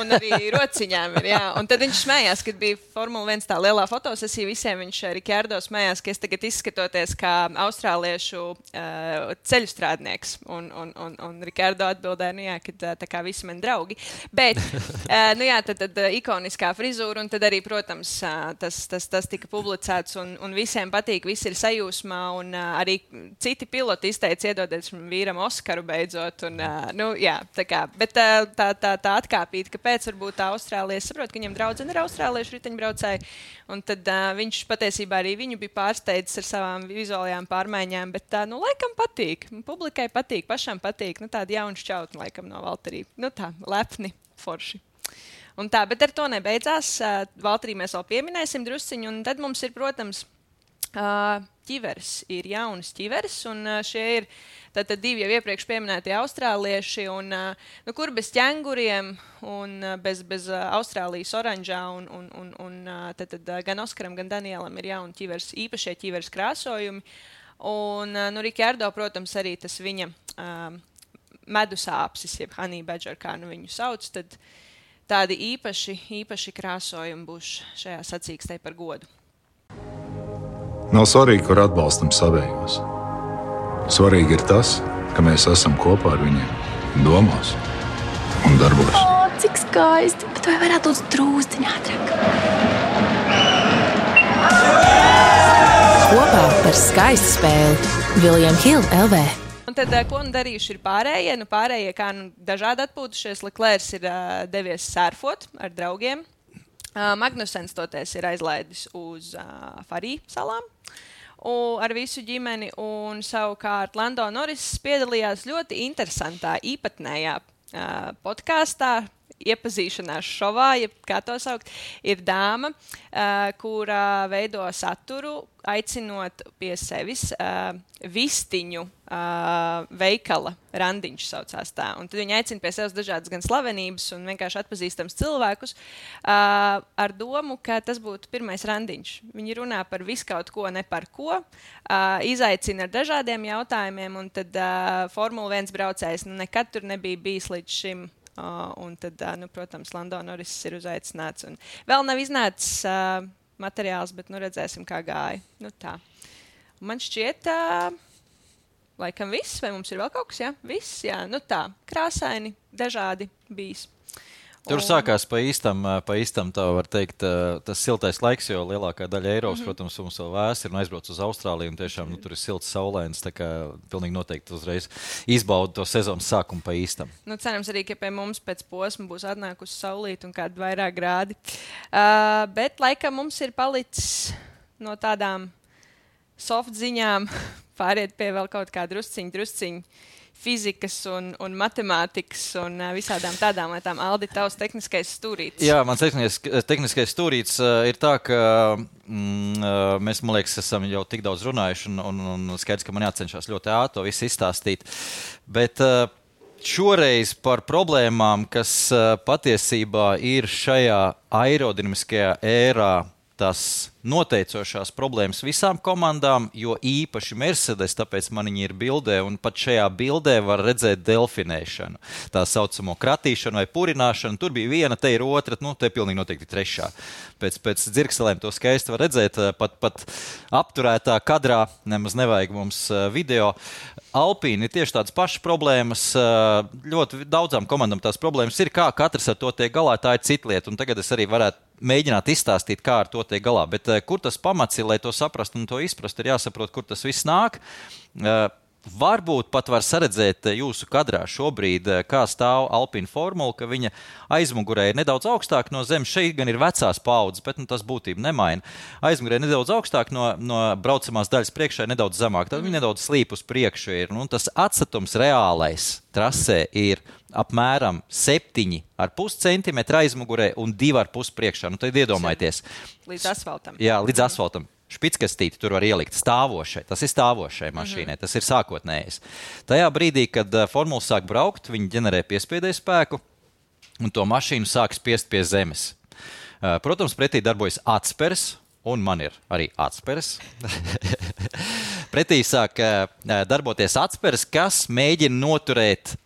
Un arī rociņām ir, Un tad viņš smējās, kad bija Formula 1 tā lielā fotosesija, visiem viņš Ricciardo smējās, ka es tagad izskatoties kā austrāliešu ceļu strādnieks. Un Ricciardo atbildēja, ka tā kā visi mani draugi. Bet, tad ikoniskā frizūra, un tad arī, protams, tas tika publicēts, un visiem patīk, visi ir sajūsmā, un arī citi piloti piloti izteica iedodiet vīram Oskaru beidzot. Un, jā, tā kā, bet tā atkāpīt, kāpēc varbūt tā Austrālija, es saprotu, ka viņam draudzene ir austrāliešu riteņbraucēji, un tad viņš patiesībā arī viņu bija pārsteidzis ar savām vizuālajām pārmaiņām, bet laikam patīk, publikai patīk, pašam patīk, tāda jauna šķautne laikam no Valterī, tā, lepni, forši. Un tā, bet ar to nebeidzās, Valterī mēs vēl pieminēsim drusciņu, un tad mums ir, protams, ķiveres, ir jaunas ķiveres, un šie ir tātad 2 jau iepriekš pieminētie austrālieši, un kur bez ķenguriem un bez Austrālijas oranžā, un tātad gan Oskaram, gan Danielam ir jauni ķiveres, īpašie ķiveres krāsojumi, un Rikārdo, protams, arī tas viņa medusāpsis, jeb honey badger, kā viņu sauc, tad tādi īpaši krāsojumi būs šajā sacīkstē par godu.
Nav svarīgi, kur atbalstam savējos. Svarīgi ir tas, ka mēs esam kopā ar viņiem domās un darbos.
Cik skaisti, bet vai varētu būt drūzdiņā ātrāk? Kopā par skaistu spēli William Hill LV.
Un tad, ko darījuši ir pārējie? Pārējie, kā dažādi atpūtušies, Leclercs ir devies sērfot ar draugiem. Magnusens toties ir aizlaidis uz Farī salām ar visu ģimeni, un savukārt Lando Norris piedalījās ļoti interesantā, īpatnējā podkāstā, iepazīšanās šovā, jeb kā to saukt, ir dāma, kura veido saturu, aicinot pie sevis vistiņu veikala randiņš saucās tā. Un tad viņi aicina pie sevis dažādas gan slavenības un vienkārši atpazīstams cilvēkus ar domu, ka tas būtu pirmais randiņš. Viņi runā par visu kaut ko, ne par ko, izaicina ar dažādiem jautājumiem, un tad Formula 1 braucējs nekad tur nebija bijis līdz šim. Un tad, protams, Lando Norris ir uzaicināts. Un vēl nav iznācis materiāls, bet redzēsim, kā gāja. Tā. Un man šķiet, laikam viss, vai mums ir vēl kaut kas? Jā, viss, jā. Tā, krāsaini, dažādi bijis.
Tur sākās pa īstam, tā var teikt, tas siltais laiks, jo lielākā daļa Eiropas, protams, mums vēl vēs ir un aizbrauc uz Austrāliju, un tiešām tur ir silts saulēns, tā kā pilnīgi noteikti uzreiz izbauda to sezonas sākumu pa īstam.
Cerams arī, ka pie mums pēc posma būs atnākusi saulīt un kādi vairāk grādi. Bet laikam mums ir palicis no tādām soft ziņām pāriet pie vēl kaut kā drusciņu fizikas un matemātikas un visādām tādām lietām. Aldi, tavs tehniskais stūrītis.
Jā, mans tehniskais stūrītis ir tā, ka mēs, man liekas, esam jau tik daudz runājuši un skaidrs, ka man jācenšas ļoti ātri to visu izstāstīt. Bet šoreiz par problēmām, kas patiesībā ir šajā aerodinamiskajā ērā, tās noteicošās problēmas visām komandām, jo īpaši Mercedes, tāpēc man viņi ir bildē, un pat šajā bildē var redzēt delfinēšanu. Tā saucamo kratīšanu vai purināšanu. Tur bija viena, te ir otra, te pilnīgi noteikti trešā. Pēc dzirkselēm to skaisti var redzēt, pat apturētā kadrā, nemaz nevajag mums video. Alpīni ir tieši tādas pašas problēmas, ļoti daudzām komandām tās problēmas ir, kā katrs ar to tiek galā, tā ir cita lieta, un tagad es arī varētu mēģināt izstāstīt, kā ar to tiek galā. Bet kur tas pamats ir, lai to saprastu un to izprastu, ir jāsaprot, kur tas viss nāk. Varbūt pat var saredzēt jūsu kadrā šobrīd, kā stāv Alpine formula, ka viņa aizmugurē ir nedaudz augstāk no zemes. Šeit gan ir vecās paudzes, bet tas būtību nemaina. Aizmugurē ir nedaudz augstāk no braucamās daļas priekšā, nedaudz zemāk. Tad viņa nedaudz slīp uz priekšu ir. Un tas atstatums reālais trasē ir apmēram 7,5 cm aizmugurē un 2,5 priekšā. Tad iedomājieties.
Līdz asfaltam.
Jā, līdz asfaltam. Špicskastīti tur var ielikt stāvošai. Tas ir stāvošai mašīnai, tas ir sākotnējais. Tajā brīdī, kad formula sāk braukt, viņi ģenerē piespiedēju spēku un to mašīnu sāk spiest pie zemes. Protams, pretī darbojas atspers, un man ir arī atspers. Pretī sāk darboties atspers, kas mēģina noturēt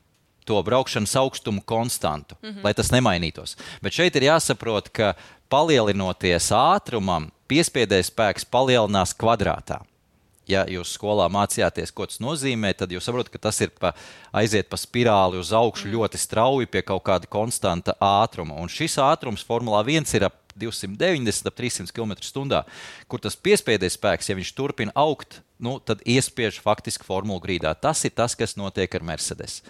to braukšanas augstumu konstantu, lai tas nemainītos. Bet šeit ir jāsaprot, ka palielinoties ātrumam, piespiedējas spēks palielinās kvadrātā. Ja jūs skolā mācījāties, ko tas nozīmē, tad jūs saprotat, ka tas ir aiziet pa spirāli uz augšu ļoti strauji pie kaut kāda konstanta ātruma. Un šis ātrums Formulā 1 ir ap 290, ap 300 km/h, kur tas piespiedes spēks, ja viņš turpina augt, tad iespiež faktiski formulu grīdā. Tas ir tas, kas notiek ar Mercedes.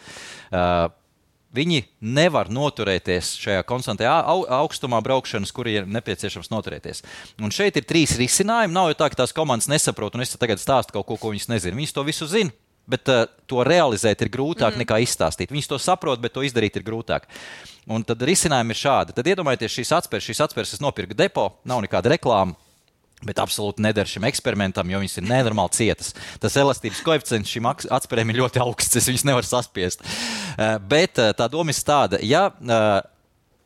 Viņi nevar noturēties šajā konstantajā augstumā braukšanas, kur ir nepieciešams noturēties. Un šeit ir 3 risinājumi. Nav jau tā, ka tās komandas nesaprot, un es tagad stāstu kaut ko viņas nezinu. Viņas to visu zina, bet to realizēt ir grūtāk nekā izstāstīt. Viņas to saprot, bet to izdarīt ir grūtāk. Un tad risinājumi ir šādi. Tad iedomājieties šīs atspēres es nopirku depo, nav nekāda reklāma. Bet absolūti neder šim eksperimentam, jo viņas ir nenormāli cietas. Tas elastības koeficients šim atspērēm ir ļoti augsts, es viņas nevaru saspiest. Bet tā doma ir tāda, ja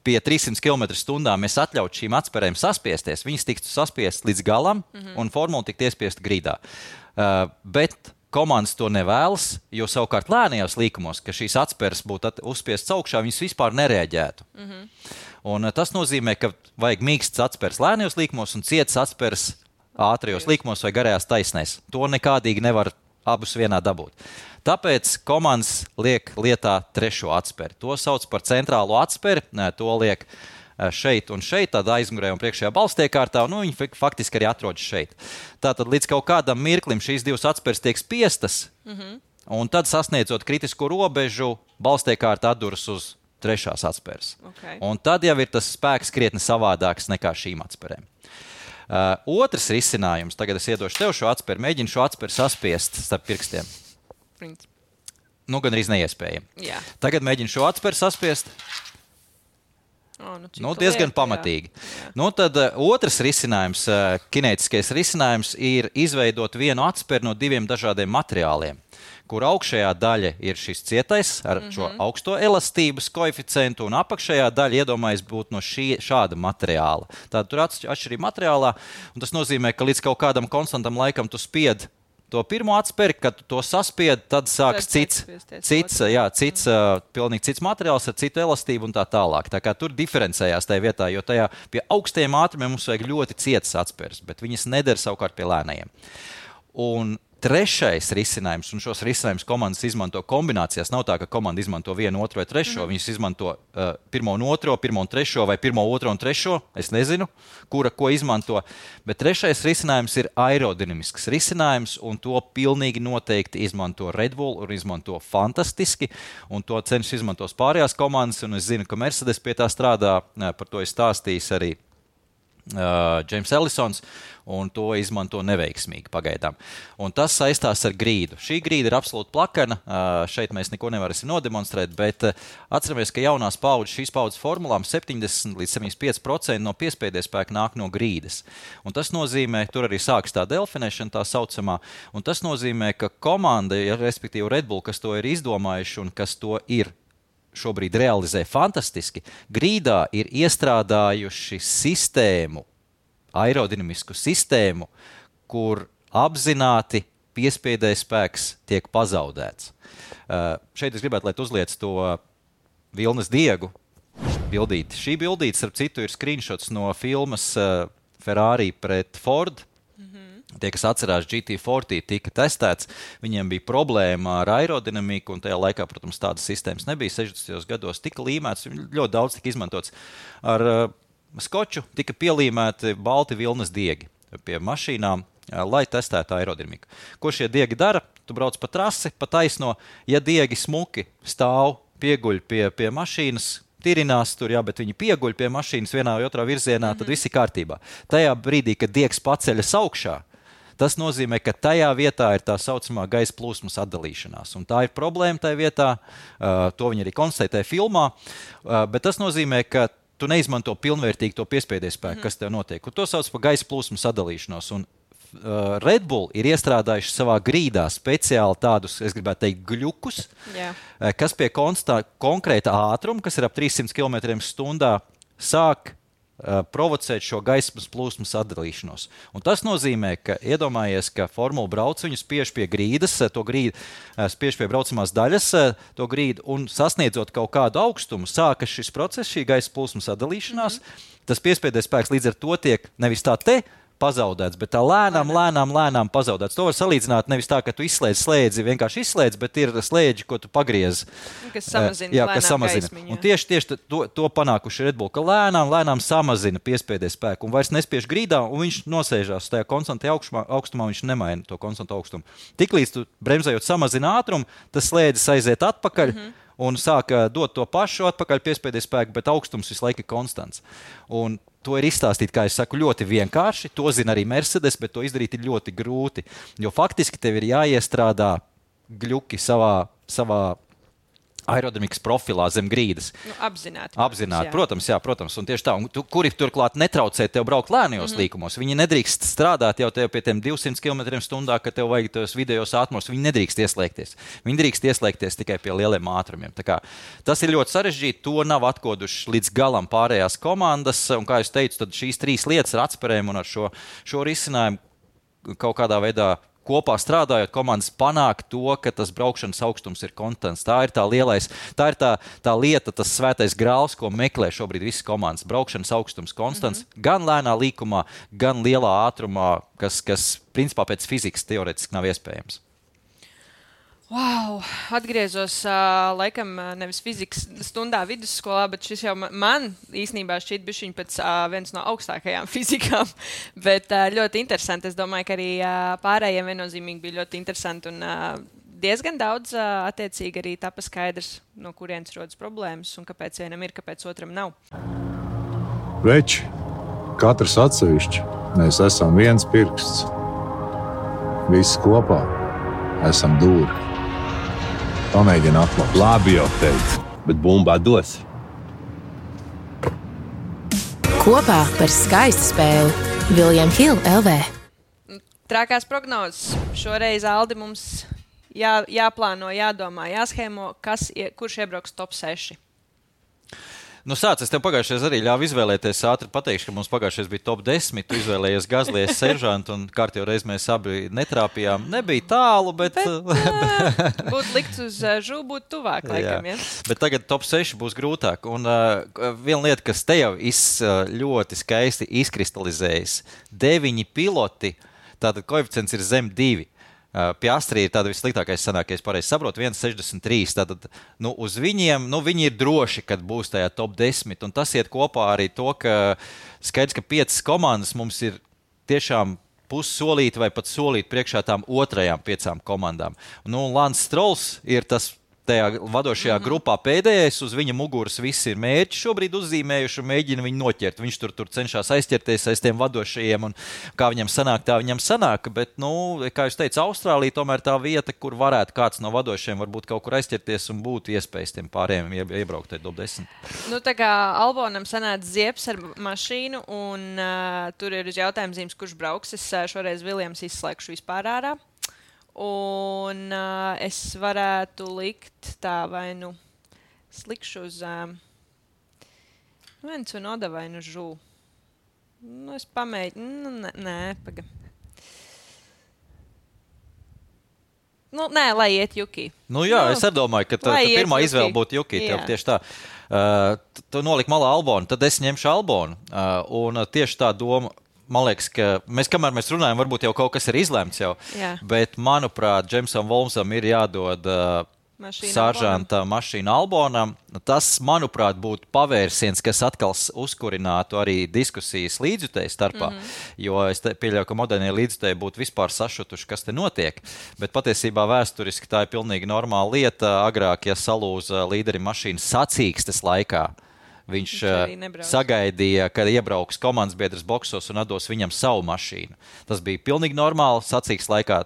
pie 300 km/h mēs atļautu šīm atspērēm saspiesties, viņas tiktu saspiestas līdz galam un formula tiktu iespiesta grīdā. Bet komandas to nevēlas, jo savukārt lēnajos līkumos, ka šīs atspēres būtu uzspiestas augšā, viņas vispār nereaģētu. Un tas nozīmē, ka vajag mīkstas atspēres lēnajos līkumos un cietas atspēres ātrajos līkumos vai garajās taisnēs. To nekādīgi nevar abus vienā dabūt. Tāpēc komandas liek lietā 3. atspēri. To sauc par centrālo atspēri. To liek šeit un šeit, tādā aizmugurē un priekšējā balstiekārtā, un viņi faktiski arī atrodas šeit. Tātad līdz kaut kādam mirklim šīs 2 atspēres tiek spiestas, un tad sasniedzot kritisko robežu, balstiekārta atduras uz 3. atspēres.
Okay.
Un tad jau ir tas spēks krietni savādāks nekā šīm atspērēm. Otrs risinājums, tagad es iedošu tev šo atspēri, mēģinu šo atspēri saspiest starp pirkstiem. Gan arī neiespējami.
Jā.
Tagad mēģinu šo atspēri saspiest. Diezgan pamatīgi. Tad otrs risinājums, kinētiskais risinājums, ir izveidot vienu atspēri no 2 dažādiem materiāliem, kur augšējā daļa ir šis cietais ar šo augsto elastības koeficientu, un apakšējā daļa iedomājas būt no šāda materiāla. Tātad tur atšķirība materiālā, un tas nozīmē, ka līdz kaut kādam konstantam laikam tu spied to pirmo atspēri, kad tu to saspied, tad sāks cits pilnīgi cits materiāls ar citu elastību un tā tālāk. Tā kā tur diferencējās tajā vietā, jo tajā pie augstajiem ātrumiem mums vajag ļoti cietas atspēres, bet viņas neder savukārt pie lēnajiem. Un 3. risinājums, un šos risinājumus komandas izmanto kombinācijās. Nav tā, ka komanda izmanto 1, 2 vai 3. Viņas izmanto 1 un 2, 1 un 3 vai 1, 2 un 3. Es nezinu, kura ko izmanto. Bet 3. risinājums ir aerodinamisks risinājums, un to pilnīgi noteikti izmanto Red Bull un izmanto fantastiski. Un to cenšas izmantos pārējās komandas, un es zinu, ka Mercedes pie tā strādā. Par to ir stājis arī James Ellisons, un to izmanto neveiksmīgi pagaidām. Un tas saistās ar grīdu. Šī grīda ir absolūti plakana. Šeit mēs neko nevarēsim nodemonstrēt, bet atceramies, ka jaunās paudzes, šīs paudzes formulām 70 līdz 75% no piespiedes spēka nāk no grīdas. Un tas nozīmē, tur arī sāks tā delfinēšana tā saucamā, un tas nozīmē, ka komanda, respektīvi Red Bull, kas to ir izdomājuši un kas to ir šobrīd realizē fantastiski, grīdā ir iestrādājuši sistēmu, aerodinamisku sistēmu, kur apzināti piespiedēja spēks tiek pazaudēts. Šeit es gribētu, lai tu uzliec to vilnas diegu bildīti. Šī bildīte, starp citu, ir screenshots no filmas Ferrari pret Ford. Tie, kas atcerās, GT40 tika testēts, viņiem bija problēma ar aerodinamiku, un tajā laikā, protams, tādas sistēmas nebija. 60. gados tika līmēts, ļoti daudz tika izmantots. Ar skoču tika pielīmēti balti vilnas diegi pie mašīnām, lai testētu aerodinamiku. Ko šie diegi dara? Tu brauc pa trasi, pa taisno, ja diegi smuki stāv, pieguļ pie mašīnas, tirinās tur, jā, bet viņi pieguļ pie mašīnas vienā vai otrā virzienā, tad viss ir kārtībā. Tajā brīdī, kad diegs paceļas augšā, tas nozīmē, ka tajā vietā ir tā saucamā gaisa plūsmas atdalīšanās. Un tā ir problēma tajā vietā, to viņi arī konstatē filmā, bet tas nozīmē, ka tu neizmanto pilnvērtīgi to piespiedes spēku, kas tev notiek. Un to sauc par gaisa plūsmas atdalīšanos. Un Red Bull ir iestrādājuši savā grīdā speciāli tādus, es gribētu teikt, gļukus, kas pie konkrēta ātruma, kas ir ap 300 km/h, sāk provocēt šo gaismas plūsmas atdalīšanos. Un tas nozīmē, ka iedomājies, ka formula brauc, viņu spiež pie grīdas, to grīdu spiež pie braucamās daļas, to grīdu, un sasniedzot kaut kādu augstumu, sākas šis process, šī gaismas plūsmas atdalīšanās. Tas piespiedes spēks līdz ar to tiek nevis tā te pazaudēts, bet tā lēnām pazaudēts. To var salīdzināt nevis tā, ka tu izslēdz slēdzi, vienkārši izslēdz, bet ir slēdži, ko tu pagriez.
Kas samazina
gaismiņu. Un tieši to panākuši Red Bull, ka lēnām samazina piespēdē spēku un vairs nespiež grīdā, un viņš nosēžās tajā konstantajā augstumā, viņš nemaina to konstantu augstumu. Tiklīdz tu bremzējot samazina ātrumu, tas slēdzis aiziet atpakaļ, un sāka dot to pašu atpakaļ piespēdē spēku, bet augstums visu laiku ir konstants. Un to ir izstāstīt, kā es saku, ļoti vienkārši. To zina arī Mercedes, bet to izdarīt ir ļoti grūti. Jo faktiski tev ir jāiestrādā gļuki savā aerodinamikas profilā zem grīdas.
Apzināti.
Protams. Un tieši tā, kuri turklāt netraucē tev braukt lēnajos līkumos. Viņi nedrīkst strādāt jau tev pie tiem 200 km/h, ka tev vajag tos vidējos ātrumos. Viņi nedrīkst ieslēgties. Viņi drīkst ieslēgties tikai pie lieliem ātrumiem. Tā kā, tas ir ļoti sarežģīti. To nav atkoduši līdz galam pārējās komandas. Un, kā es teicu, tad šīs 3 lietas ar atspērēm un ar šo risinājumu kaut kādā veidā kopā strādājot, komandas panāk to, ka tas braukšanas augstums ir konstants. Tā ir tā lieta, tas svētais grāls, ko meklē šobrīd visas komandas. Braukšanas augstums konstants, gan lēnā līkumā, gan lielā ātrumā, kas principā pēc fizikas teorētiski nav iespējams.
Wow, atgriezos laikam nevis fizikas stundā vidusskolā, bet šis jau man īstenībā šķiet bišķiņ pēc viens no augstākajām fizikām, bet ļoti interesanti. Es domāju, ka arī pārējiem viennozīmīgi bija ļoti interesanti un diezgan daudz attiecīgi arī tapa skaidrs, no kurienes rodas problēmas un kāpēc vienam ir, kāpēc otram nav.
Veči, katrs atsevišķi, mēs esam viens pirksts. Visi kopā esam dūri. Pamēģini atklāt.
Labi jau teicu, bet bumbā dos.
Kopā par skaistu spēli William Hill LV.
Trakās prognozes. Šoreiz Aldi mums jāplāno, jādomā, jāshēmo, kurš iebrauks top 6.
Nu, es tev pagājušajā arī ļāvu izvēlēties. Ātri pateikšu, ka mums pagājušajā bija top 10. Tu izvēlējies Gazlijas seržantu un kārtībā reiz mēs abi netrāpījām. Nebija tālu, bet...
Būtu likts uz žū, būtu tuvāk, laikam, ja?
Bet tagad top 6 būs grūtāk. Un viena lieta, kas te jau ļoti skaisti izkristalizējas. 9 piloti, tātad koeficients ir zem 2. Piastri ir tāda vissliktākais sanāk, ja es pareizi saprotu, 1,63. Tātad, uz viņiem, viņi ir droši, kad būs tajā top 10. Un tas iet kopā arī to, ka skaidrs, ka 5 komandas mums ir tiešām pussolīti vai pat solīti priekšā tām otrajām 5 komandām. Lance Strolls ir tas tajā vadošajā grupā pēdējais, uz viņa muguras visi ir mērķi šobrīd uzzīmējuši un mēģina viņu noķert. Viņš tur cenšas aizķerties aiz tiem vadošajiem un kā viņam sanāk, tā viņam sanāk. Bet, kā jūs teicu, Austrālija tomēr tā vieta, kur varētu kāds no vadošajiem varbūt kaut kur aizķerties un būtu iespējas tiem pārējiem iebraukt top 10.
Tā kā Albonam sanāca Zieps ar mašīnu un tur ir uz jautājuma zīmes, kurš brauks. Es šoreiz Viljams izslēgšu vispār ārā. Un es varētu likt tā vai slikšu uz viens un Oda vai žū. Es pamēģinu. Nē, paga. Nē, lai iet Juki.
Es arī domāju, ka pirmā izvēle būtu Juki. Tieši tā. Tu noliki malā Albonu, tad es ņemšu Albonu. Un tieši tā doma. Man liekas, ka kamēr mēs runājam, varbūt jau kaut kas ir izlemts jau. Jā. Bet, manuprāt, Džemsam Volmsam ir jādod saržanta mašīna Albonam. Tas, manuprāt, būtu pavērsiens, kas atkal uzkurinātu arī diskusijas līdzjutēju starpā. Jo es pieļauju, ka modernie līdzjutēji būtu vispār sašutuši, kas te notiek. Bet patiesībā vēsturiski tā ir pilnīgi normāla lieta. Agrāk, ja salūza līderi mašīna sacīkstes laikā, viņš sagaidīja, kad iebrauks komandas biedrs boksos un atdos viņam savu mašīnu. Tas bija pilnīgi normāli sacīks laikā.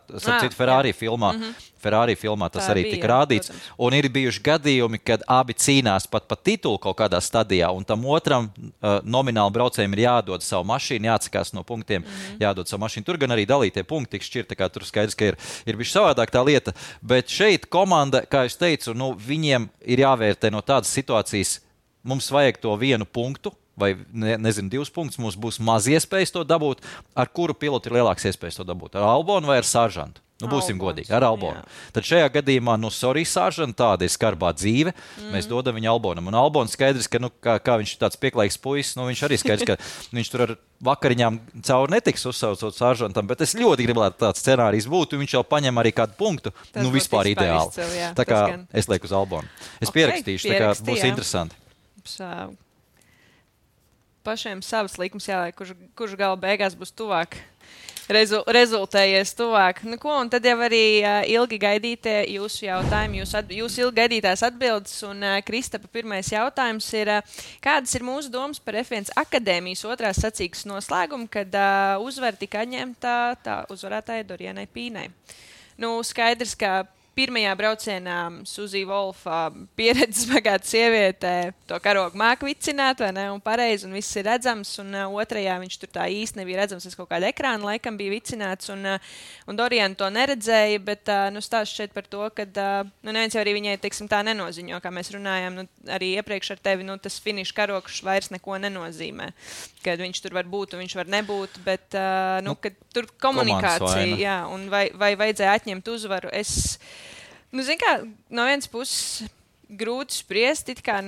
Ferrari filmā tas arī tika rādīts. Protams. Un ir bijuši gadījumi, kad abi cīnās pat titulu kaut kādā stadijā, un tam otram nomināli braucējiem ir jādod savu mašīnu, jāatsakās no punktiem, jādod savu mašīnu. Tur gan arī dalītie punkti tiks šķirt, tā kā tur skaidrs, ka ir bišķi savādāk tā lieta. Bet šeit komanda, kā es teicu, viņiem ir jāvērtē no tādas situācijas. Mums vajag to 1 punktu, vai 2 punktus. Mums būs maz iespējas to dabūt. Ar kuru pilotu ir lielāks iespējas to dabūt? Ar Albonu vai ar Saržantu? Nu, būsim godīgi, ar Albonu. Tad šajā gadījumā, sorry, Sāržana, tāda ir skarbā dzīve. Mēs dodam viņu Albonam. Un Albons skaidrs, ka, kā viņš ir tāds pieklājīgs puisis, viņš arī skaidrs, ka viņš tur ar vakariņām cauri netiks uzsaucot Sāržantam, bet es ļoti gribētu tāds scenārijs būt, un viņš jau paņem arī kādu punktu. Vispār ideāli. Tā kā es lieku uz Albonu. Es pierakstīšu, tā kā būs interesanti.
Pašiem savas likums jāliek, kurš gala beigās būs tuvāk. Rezultējies tuvāk. Nu, ko, un tad jau arī ilgi gaidītie jūsu jautājumi, jūs ilgi gaidītās atbildes, un Kristapa pirmais jautājums ir, kādas ir mūsu domas par F1 akadēmijas otrās sacīkstes noslēgumu, kad uzvara tika atņemta tā uzvarētāja Dorianai Pīnai. Nu, skaidrs, ka pirmajā braucienā Suzija Volfa pieredzes bagāta sieviete to karogu māku vicināt, vai ne, un pareizi, un viss ir redzams, un otrajā viņš tur tā īsti nebija redzams, es kaut kādu ekrānu laikam bija vicināts, un Doriana to neredzēja, bet stāsts šeit par to, ka neviens jau arī viņai, teiksim, tā nenoziņo, kā mēs runājām, arī iepriekš ar tevi, tas finiša karogs vairs neko nenozīmē, kad viņš tur var būt un viņš var nebūt, bet kad tur komunikācija, jā, un vai vajadzēja atņemt uzvaru, zin kā, no vienas puses grūti spriest, it kā,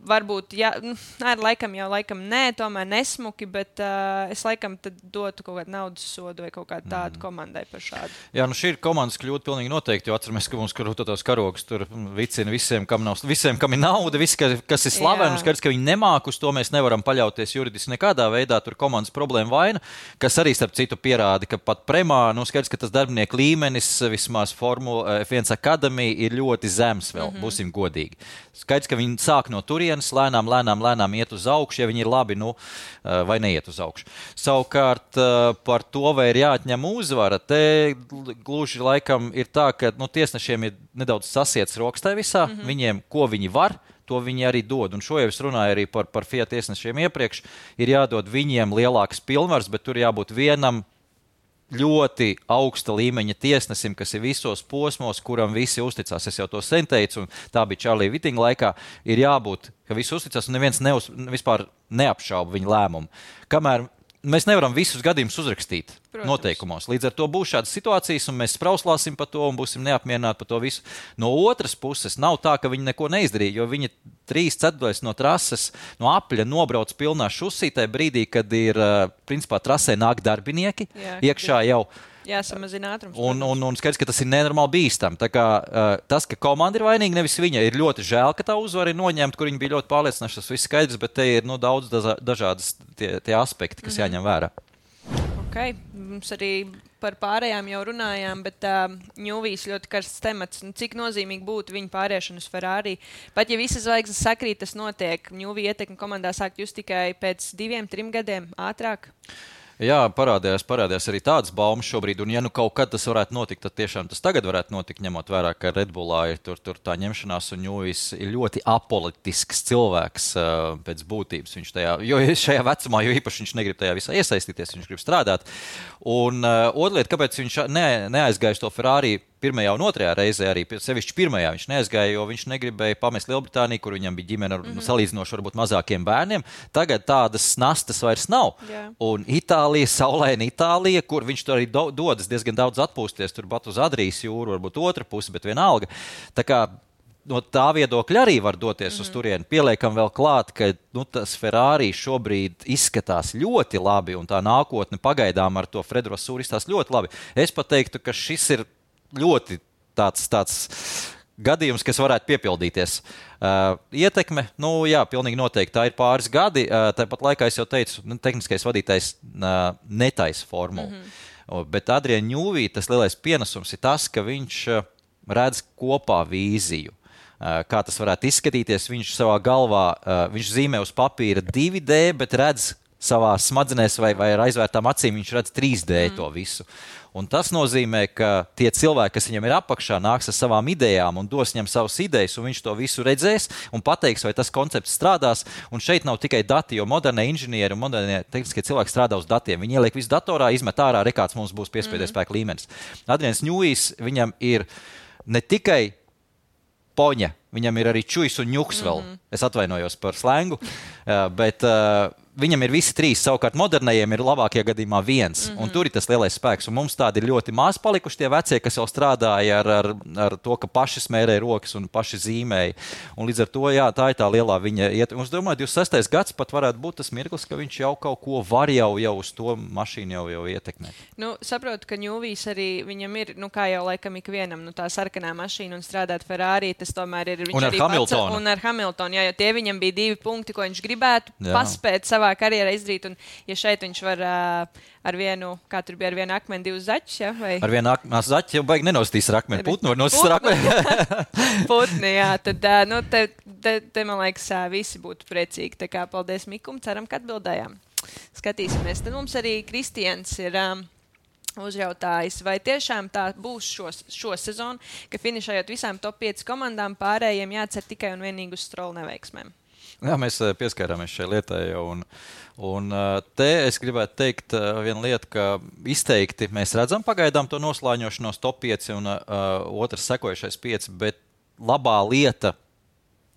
varbūt, jā, laikam nē, tomēr nesmuki, bet es laikam tad dotu kaut kādu naudas sodu vai kaut kādu tādu komandai par šādu.
Jā, šī ir komandas kļūda pilnīgi noteikti, jo atceramies, ka mums tos karogus tur vicina visiem, kam ir nauda, visi, kas ir slaveni, skaidrs, ka viņi nemāk, uz to mēs nevaram paļauties juridiski nekādā veidā, tur komandas problēma vaina, kas arī starp citu pierāda, ka pat premā, skaidrs, ka tas darbinieku līmenis, vismaz Formula F1 akadēmija ir ļoti zems vēl, būsim godīgi. Skaidrs, ka viņi sāk no turienes, lēnām iet uz augšu, ja viņi ir labi, vai neiet uz augšu. Savukārt par to, vai ir jāatņem uzvara, te gluži laikam ir tā, ka tiesnešiem ir nedaudz sasiets rokas tajā visā, viņiem, ko viņi var, to viņi arī dod. Un šo jau es runāju arī par Fiat tiesnešiem iepriekš, ir jādod viņiem lielākas pilnvaras, bet tur jābūt vienam ļoti augsta līmeņa tiesnesim, kas ir visos posmos, kuram visi uzticās. Es jau to sen teicu, un tā bija Čārlija Vitinga laikā, ir jābūt, ka visi uzticās, un neviens vispār neapšauba viņa lēmumu. Kamēr mēs nevaram visus gadījumus uzrakstīt noteikumos. Līdz ar to būs šādas situācijas, un mēs sprauslāsim par to, un būsim neapmierināti par to visu. No otras puses, nav tā, ka viņi neko neizdarīja, jo viņi 3/4 no trases, no apļa nobrauc pilnā šusītē brīdī, kad ir, principā, trasē nāk darbinieki, iekšā jau.
Jāsamazina ātrums.
Un skaidrs, ka tas ir nenormāli bīstam. Tā kā tas, ka komanda ir vainīga, nevis viņa, ir ļoti žēl, ka tā uzvara ir noņemta, kur viņi bija ļoti pārliecināti, tas viss skaidrs, bet te ir daudz dažādas tie aspekti, kas jāņem vērā.
Okay. Mums arī par pārējām jau runājām, bet Ņūvijas ļoti karsts temats. Cik nozīmīgi būtu viņa pāriešana uz Ferrari? Pat ja visas zvaigznes sakrīt, tas notiek. Ņūvija ietekme komandā sāk just tikai pēc 2-3 gadiem ātrāk.
Jā, parādījās arī tādas baumas šobrīd, un ja kaut kad tas varētu notikt, tad tiešām tas tagad varētu notikt, ņemot vērā, ka Red Bullā ir tur tā ņemšanās, un Ņūvijas ir ļoti apolitisks cilvēks pēc būtības. Viņš šajā vecumā, jo īpaši viņš negrib tajā visā iesaistīties, viņš grib strādāt. Un otra lieta, kāpēc viņš neaizgāja to Ferrari pirmajā un otrajā reizē, arī sevišķi pirmajā viņš neaizgāja, jo viņš negribēja pamest Lielbritāniju, kur viņam bija ģimene ar salīdzinoši varbūt mazākiem bērniem. Tagad tādas nastas vairs nav. Jā. Un Itālija, saulaina Itālija, kur viņš tur arī dodas diezgan daudz atpūsties, tur pat uz Adrijas jūru, varbūt otra puse, bet vienalga. Tā kā no tā viedokļa arī var doties uz turieni. Pieliekam vēl klāt, ka tas Ferrari šobrīd izskatās ļoti labi, un tā nākotne pagaidām ar to Fredu Vassūru izskatās ļoti labi. Es pat teiktu, ka šis ir ļoti tāds gadījums, kas varētu piepildīties. Ietekme, jā, pilnīgi noteikti, tā ir pāris gadi. Tāpat laikā es jau teicu, tehniskais vadītājs netaisa formulu. Bet Adrian Ņūvī tas lielais pienesums ir tas, ka viņš redz kopā vīziju. Kā tas varētu izskatīties, viņš savā galvā, viņš zīmē uz papīra 2D, bet redz savā smadzenēs vai ar aizvērtām acīm, viņš redz 3D to visu. Un tas nozīmē, ka tie cilvēki, kas viņam ir apakšā, nāks ar savām idejām un dos viņam savas idejas, un viņš to visu redzēs un pateiks, vai tas koncepts strādās. Un šeit nav tikai dati, jo modernie inženieri un modernie tehniskie cilvēki strādā uz datiem. Viņi ieliek visu datorā, izmet ārā, kāds mums būs piespēdējais spēka līmenis. Adrians Ņūvijs, viņam ir ne tikai poņa, viņam ir arī čujs un ņuks vēl. Es atvainojos par slengu, bet viņam ir visi trīs, savukārt modernajiem ir labākajā gadījumā viens. Un tur ir tas lielais spēks. Un mums tādi ir ļoti maz palikuši tie vecie, kas jau strādāja ar to, ka paši smērēja rokas un paši zīmēja. Un līdz ar to, jā, tā ir tā lielā viņa iet. Un es domāju, 26. gads pat varētu būt tas mirklis, ka viņš jau kaut ko var jau uz to mašīnu jau ietekmēt.
Nu, saprotu, ka Ņūvijs arī viņam ir, kā jau laikam ikvienam, tā sarkanā mašīna un strādāt Ferrari, tas tomēr ir viņš
un
arī
Hamiltonu.
Un ar Hamiltonu, jā, jo tie viņam bija 2 punkti, ko viņš gribētu paspēt savā karjerā izdarīt, un ja šeit viņš var ar vienu, kā tur bija, ar vienu akmeni 2 zaķus, ja? Vai?
Ar vienu zaķi jau baigi nenostīs ar akmeni, putnu var nostīs ar akmeni.
Putni, jā, tad, te man liekas, visi būtu priecīgi, tā kā paldies Mikum, ceram, ka atbildējām. Skatīsimies, tad mums arī Kristians ir uzjautājis, vai tiešām tā būs šo sezonu, ka finišējot visām top 5 komandām pārējiem jācer tikai un vienīgi uz Stroll neveiksmēm.
Jā, mēs pieskārāmies šai lietai jau, un te es gribētu teikt vienu lietu, ka izteikti mēs redzam pagaidām to noslāņošanos top 5 un otrs sekojušais 5, bet labā lieta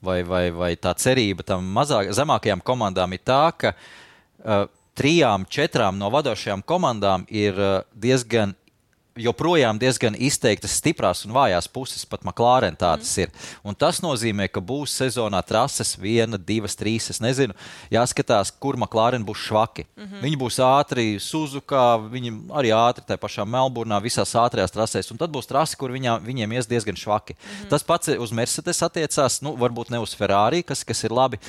vai tā cerība tam zemākajām komandām ir tā, ka 3-4 no vadošajām komandām ir joprojām diezgan izteiktas stiprās un vājās puses, pat McLaren tādas ir. Un tas nozīmē, ka būs sezonā trases 1, 2, 3, es nezinu, jāskatās, kur McLaren būs švaki. Viņi būs ātri Suzuka, viņi arī ātri tā pašā Melburnā, visās ātrajās trasēs, un tad būs trasi, kur viņiem ies diezgan švaki. Tas pats uz Mercedes attiecās, varbūt ne uz Ferrari, kas ir labi,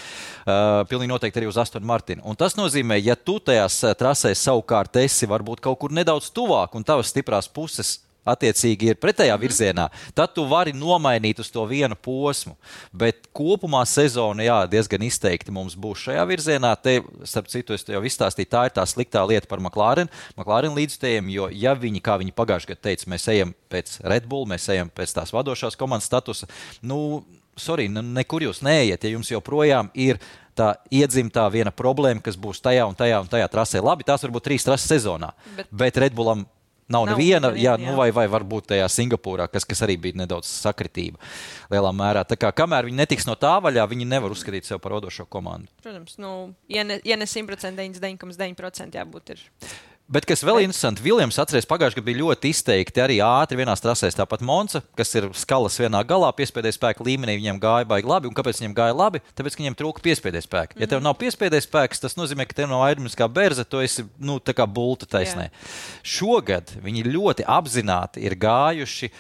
pilnīgi noteikti arī uz Aston Martin. Un tas nozīmē, ja tu tajās trasēs savukārt esi varbūt kaut kur nedaudz tuvāk un tavas stiprās puses attiecīgi ir pretējā virzienā, tad tu vari nomainīt uz to vienu posmu. Bet kopumā sezona, jā, diezgan izteikti mums būs šajā virzienā. Te, starp citu, es jau izstāstīju, tā ir tā sliktā lieta par McLaren līdzstējiem, jo ja viņi, kā viņi pagājušajā gadā teica, mēs ejam pēc Red Bull, mēs ejam pēc tās vadošās komandas statusa, nekur jūs neejat, ja jums joprojām ir tā iedzimtā viena problēma, kas būs tajā un tajā trasē. Labi, tās varbūt 3 trases sezonā, bet Red Bullam nav neviena, vai varbūt tajā Singapūrā, kas arī bija nedaudz sakritība lielā mērā. Tā kā kamēr viņi netiks no tā vaļā, viņi nevar uzskatīt sev par vadošo komandu.
Protams, ja ne 100%, 99,9% jābūt ir.
Bet, kas vēl interesanti, Viljams atceries pagājušajā gadā bija ļoti izteikti arī ātri vienās trasēs, tāpat Monza, kas ir skalas vienā galā, piespēdēja spēka līmenī, viņiem gāja baigi labi. Un kāpēc viņiem gāja labi? Tāpēc, ka viņiem trūka piespēdēja spēka. Ja tev nav piespēdēja spēks, tas nozīmē, ka tev nav aerodinamiskā berze, tu esi, tā kā bulta taisnē. Šogad viņi ļoti apzināti ir gājuši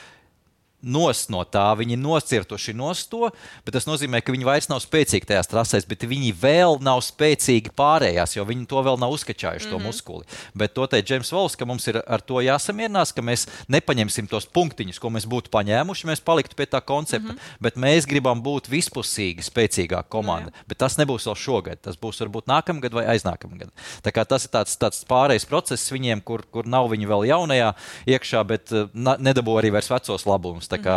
nost no tā, viņi nocirtuši nost to, bet tas nozīmē, ka viņi vairs nav spēcīgi tajās trasēs, bet viņi vēl nav spēcīgi pārējās, jo viņi to vēl nav uzkačājuši, to muskuli. Bet to teica Džeims Vols, ka mums ir ar to jāsamierinās, ka mēs nepaņemsim tos punktiņus, ko mēs būtu paņēmuši, mēs paliktu pie tā koncepta, bet mēs gribam būt vispusīgi spēcīgāka komanda. Bet tas nebūs vēl šogad, tas būs varbūt nākamgad vai aiznākamgad. Tā kā tas ir tāds pārējais process viņiem, kur nav viņi vēl jaunajā iekšā, bet nedabū arī vairs vecos labumus. Tā kā,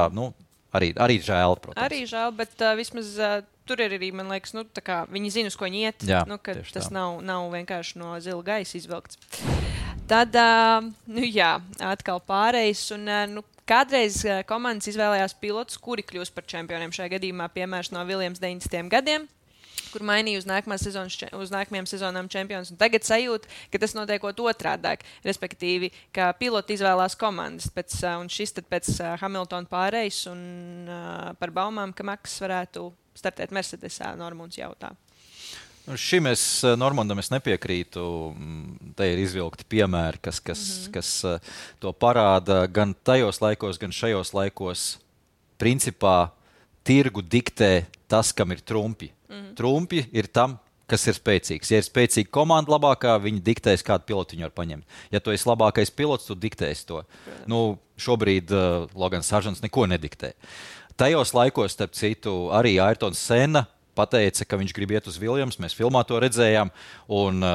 arī žēl, protams.
Arī žēl, bet vismaz tur ir arī, man liekas, viņi zina, uz ko viņi iet,
jā,
ka tas nav vienkārši no zila gaisa izvilkts. Tad, atkal pārējais, un kādreiz komandas izvēlējās pilotus, kuri kļūst par čempioniem šajā gadījumā, piemērs no Viljams 90. gadiem, kur mainīja uz nākamajām sezonām čempions. Un tagad sajūta, ka tas notiekot otrādāk, respektīvi, ka piloti izvēlās komandas. Un šis tad pēc Hamiltona pārējais un par baumām, ka Maks varētu startēt Mercedesā, Normunds jautā.
Šim Normandam es nepiekrītu. Te ir izvilkti piemēri, kas to parāda gan tajos laikos, gan šajos laikos. Principā tirgu diktē tas, kam ir trumpi. Trumpi ir tam, kas ir spēcīgs. Ja ir spēcīga komanda labākā, viņi diktēs, kādu pilotu viņi var paņemt. Ja tu esi labākais pilots, tu diktēsi to. Šobrīd Logans Sargents neko nediktē. Tajos laikos, starp citu, arī Ayrtons Senna pateica, ka viņš grib iet uz Viljams. Mēs filmā to redzējām. Un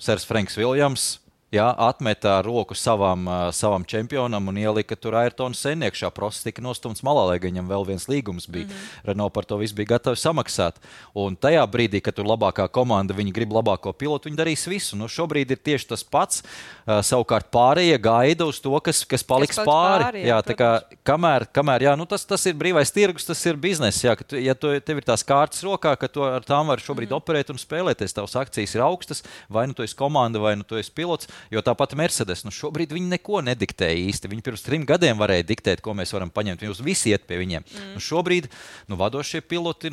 Sers Franks Viljams Jā, atmetā roku savam čempionam un ielika tur Ayrtonu Sennu iekšā. Prosts tika nostumts malā, lai viņam vēl viens līgums bija. Renault par to visu bija gatavi samaksāt. Un tajā brīdī, kad tur labākā komanda, viņi grib labāko pilotu, viņi darīs visu. Nu, šobrīd ir tieši tas pats. Savukārt pārējie gaida uz to, kas paliks pāri. Jā, tā kā, kamēr jā, nu, tas ir brīvais tirgus, tas ir bizness. Jā, ja tev ir tās kārtas rokā, ka tu ar tām var šobrīd operēt un spēlēties, tavas akcijas ir augstas, vai nu tu esi komanda, vai nu tu esi pilots. Jo tāpat Mercedes, nu šobrīd viņi neko nediktēja īsti. Viņi pirms 3 gadiem varēja diktēt, ko mēs varam paņemt. Jūs visi iet pie viņiem. Nu šobrīd vadošie piloti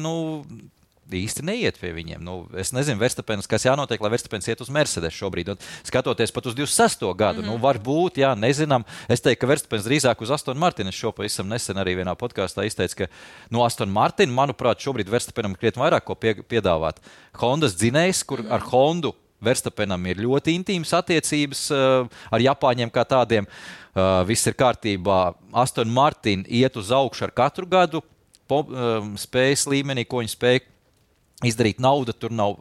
īsti neiet pie viņiem. Nu, es nezinu, Verstapens, kas jānotiek, lai Verstapens iet uz Mercedes šobrīd. Un skatoties pat uz 26. gadu, nu varbūt, jā, nezinām. Es teiktu, ka Verstapens drīzāk uz Aston Martin. Es šo pavisam nesen arī vienā podkāstā izteicu, ka Aston Martin, manuprāt, šobrīd Verstapenam krietni vairāk ko piedāvāt. Hondas dzinējs, kur ar Hondu Verstapenam ir ļoti intīmas attiecības ar Japāņiem kā tādiem. Viss ir kārtībā. Aston Martin iet uz augšu ar katru gadu spējas līmenī, ko viņi spēj izdarīt. Nauda tur nav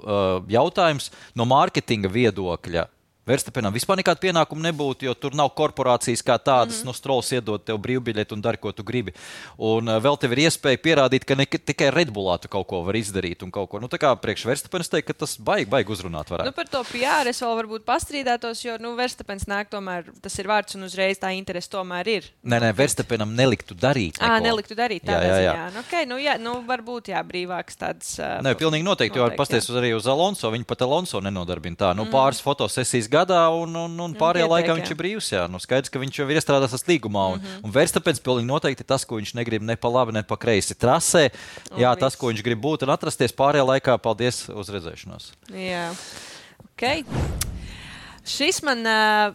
jautājums. No mārketinga viedokļa Verstapenam vispār nekāda pienākuma nebūtu, jo tur nav korporācijas kā tādas. Strolls iedod tev brīvbiļeti un dari, ko tu gribi. Un vēl tev ir iespēja pierādīt, ka ne tikai Red Bullā tu kaut ko var izdarīt un kaut ko. Nu, tā kā priekš Verstapens teikt, ka tas baigi uzrunāt varētu.
Nu, par to PR es vēl varbūt pastrīdētos, jo Verstapens nāk tomēr, tas ir vārds un uzreiz tā interese tomēr ir.
Nē, Verstapenam neliktu darīt neko.
Neliktu darīt tādā ziņā. Nu, okay, varbūt varbūt tāds.
Nē, pilnīgi noteikti, jo pasties arī uz Alonso. Viņi pat Alonso nenodarbina tā. Pāris fotosesijas gadā un pārējā laikā viņš ir brīvs. Jā. Nu, skaidrs, ka viņš jau ir iestrādāts līgumā. Un Verstapens pilnīgi noteikti tas, ko viņš negrib ne pa labi, ne pa kreisi trasē. Jā, tas, ko viņš grib būt un atrasties pārējā laikā. Paldies uz redzēšanos.
Jā, ok. Šis man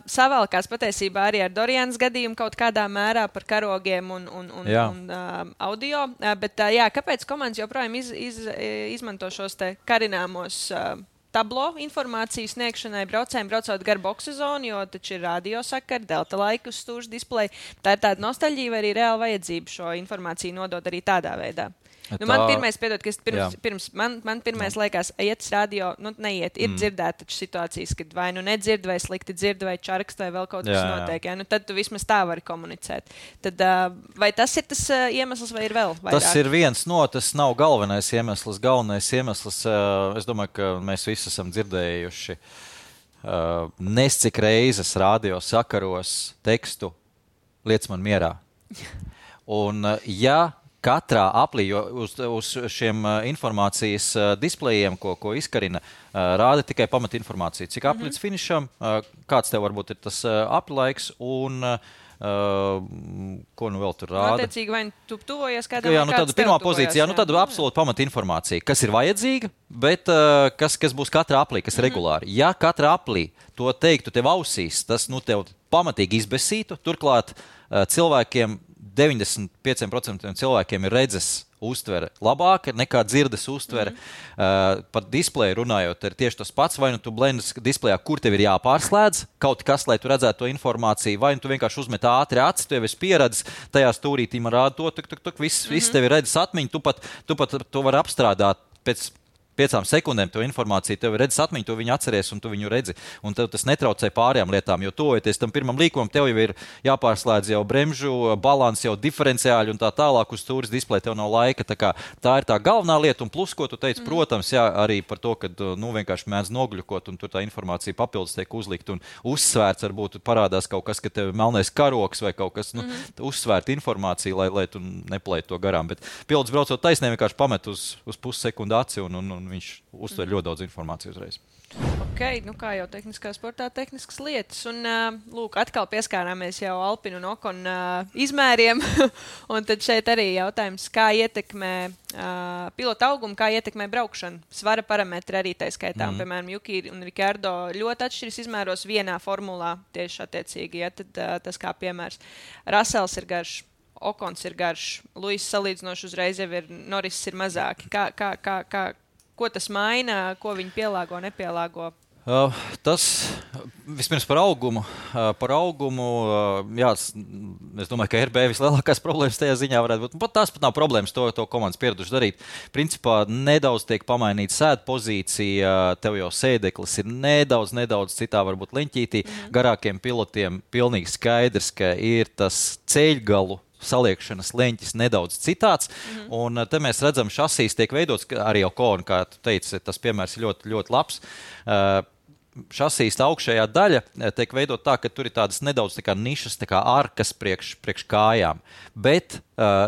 savalkās patiesībā arī ar Dorianas gadījumu kaut kādā mērā par karogiem un audio. Bet kāpēc komandas joprojām izmanto šos te karināmos tablo informāciju sniegšanai braucējiem, braucot gar boksu zonu, jo taču ir radiosakari, delta laika uz stūžu displeja. Tā ir tāda nostalģija vai arī reāla vajadzība šo informāciju nodot arī tādā veidā. Man pirmais, man pirmais liekas, iet radio, neiet, ir dzirdēt taču situācijas, kad vai nedzird, vai slikti dzird, vai čarakst, vai vēl kaut kas notiek. Jā? Tad tu vismaz tā vari komunicēt. Tad, vai tas ir tas iemesls, vai ir vēl vairāk?
Tas ir viens tas nav galvenais iemesls. Galvenais iemesls, es domāju, ka mēs visi esam dzirdējuši nescik reizes radio sakaros tekstu "Liec man mierā". Un, katrā aplī, jo uz šiem informācijas displejiem, ko izkarina, rāda tikai pamatinformāciju. Cik apli līdz finišam, kāds tev varbūt ir tas apli laiks un ko nu vēl tur rāda?
Attiecīgi, vai tu tuvojies kādam?
Jā, tāda pirmā pozīcija, tāda absolūta pamatinformācija, kas ir vajadzīga, bet kas būs katrā aplī, kas regulāri. Ja katrā aplī to teiktu tev ausīs, tas tev pamatīgi izbesītu. Turklāt cilvēkiem 95% cilvēkiem ir redzes uztvere labāka nekā dzirdes uztvere. Par displeju runājot, ir tieši tas pats. Vai nu tu blendas displejā, kur tev ir jāpārslēdz kaut kas, lai tu redzētu to informāciju, vai nu tu vienkārši uzmet ātri acis, tu jau esi pieredzis, tajā stūrītī man rāda to, viss tev ir redzes atmiņa, tu pat to vari apstrādāt pēc 5 sekundēm to informāciju, tev ir redzes atmiņa, tu viņu atceries un tu viņu redzi. Un tev tas netraucē pārējām lietām, jo tojoties tam pirmam līkumam, tev jau ir jāpārslēdz jau bremžu, balans, jau diferenciāļi un tā tālāk uz stūres displeja, tev nav laika. Tā ir tā galvenā lieta. Un plus, ko tu teici, protams, arī par to, ka vienkārši mēdz nogļukot un tur tā informācija papildus tiek uzlikt un uzsvērts, varbūt parādās kaut kas, ka tev ir melnais karoks vai kaut kas, uzsvērta informācija, lai tu neplēji to garām. Bet pilots braucot taisnē vienkārši pamet uz pussekundi aci un viņš uztver ļoti daudz informāciju uzreiz.
Ok, kā jau tehniskā sportā, tehniskas lietas. Un, lūk, atkal pieskārāmies jau Alpinu un Okon izmēriem. Un tad šeit arī jautājums, kā ietekmē pilota augumu, kā ietekmē braukšanu. Svara parametri arī tā skaitā. Piemēram, Juki un Ricardo ļoti atšķiras izmēros vienā formulā tieši attiecīgi. Ja, tad tas kā piemērs. Russells ir garš. Okons ir garš. Luis salīdzinoši uzreiz jau ir, Norris ir mazāki. Ko tas maina, ko viņi pielāgo, nepielāgo?
Tas vispirms par augumu. Jā, es domāju, ka RB vislielākās problēmas tajā ziņā varētu būt. Tas pat nav problēmas, to komandas pieraduši darīt. Principā nedaudz tiek pamainīta sēdu pozīcija, tev jau sēdeklis ir nedaudz citā varbūt leņķītī. Garākiem pilotiem pilnīgi skaidrs, ka ir tas ceļgalu saliekšanas leņķis nedaudz citāds, un te mēs redzam, šasīs tiek veidots, arī Ocon, kā tu teici, tas piemērs ir ļoti, ļoti labs. Šasīs augšējā daļa tiek veidot tā, ka tur ir tādas nedaudz tā kā nišas, tā kā arkas priekš kājām, bet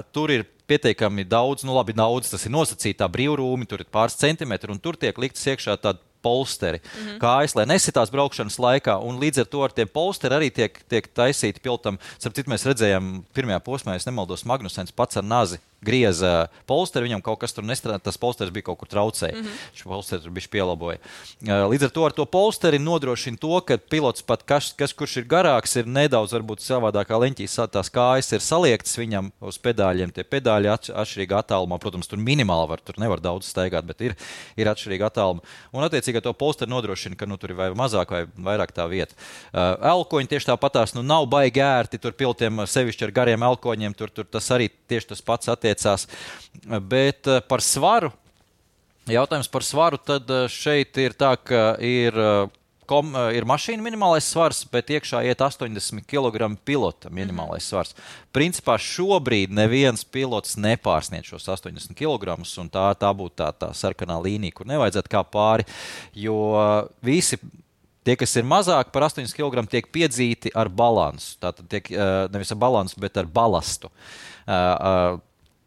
tur ir pietiekami daudz, daudz, tas ir nosacītā brīvrūmi, tur ir pāris centimetri, un tur tiek liktas iekšā tāda polsteri, kājas, lai nesitās braukšanas laikā, un līdz ar to ar tiem polsteri arī tiek taisīti pilotam. Starp citu, mēs redzējām pirmajā posmā, es nemaldos, Magnusens pats ar nazi grieza polsteri, viņam kaut kas tur nestrādā, tas polsteris bija kaut kur traucēja. Šo polsteri bišķi pielaboja. Līdz ar to polsteri nodrošina to, ka pilots pat, kurš ir garāks, ir nedaudz varbūt savādākā leņķī, tās kājas ir saliektas viņam uz pedāļiem. Tie pedāļi atšķirīgi attālumā, protams, tur minimāli tur nevar daudz staigāt, bet ir atšķirīgi attāluma. Un attiecīgi to polsteri nodrošina, ka tur ir vai mazāk vai vairāk tā vieta. Elkoņi tieši tāpatās, nav baigi ērti, tur pilotiem sevišķi ar gariem elkoņiem, tur tas arī tieši tas pats attiecās. Bet par svaru, jautājums par svaru, tad šeit ir tā, ka ir mašīna minimālais svars, bet iekšā iet 80 kg pilota minimālais svars. Principā šobrīd neviens pilots nepārsniedz šos 80 kg, un tā būtu tā sarkanā līnija, kur nevajadzētu kā pāri, jo visi tie, kas ir mazāk par 80 kg, tiek piedzīti ar balansu. Tātad tiek nevis ar balansu, bet ar balastu.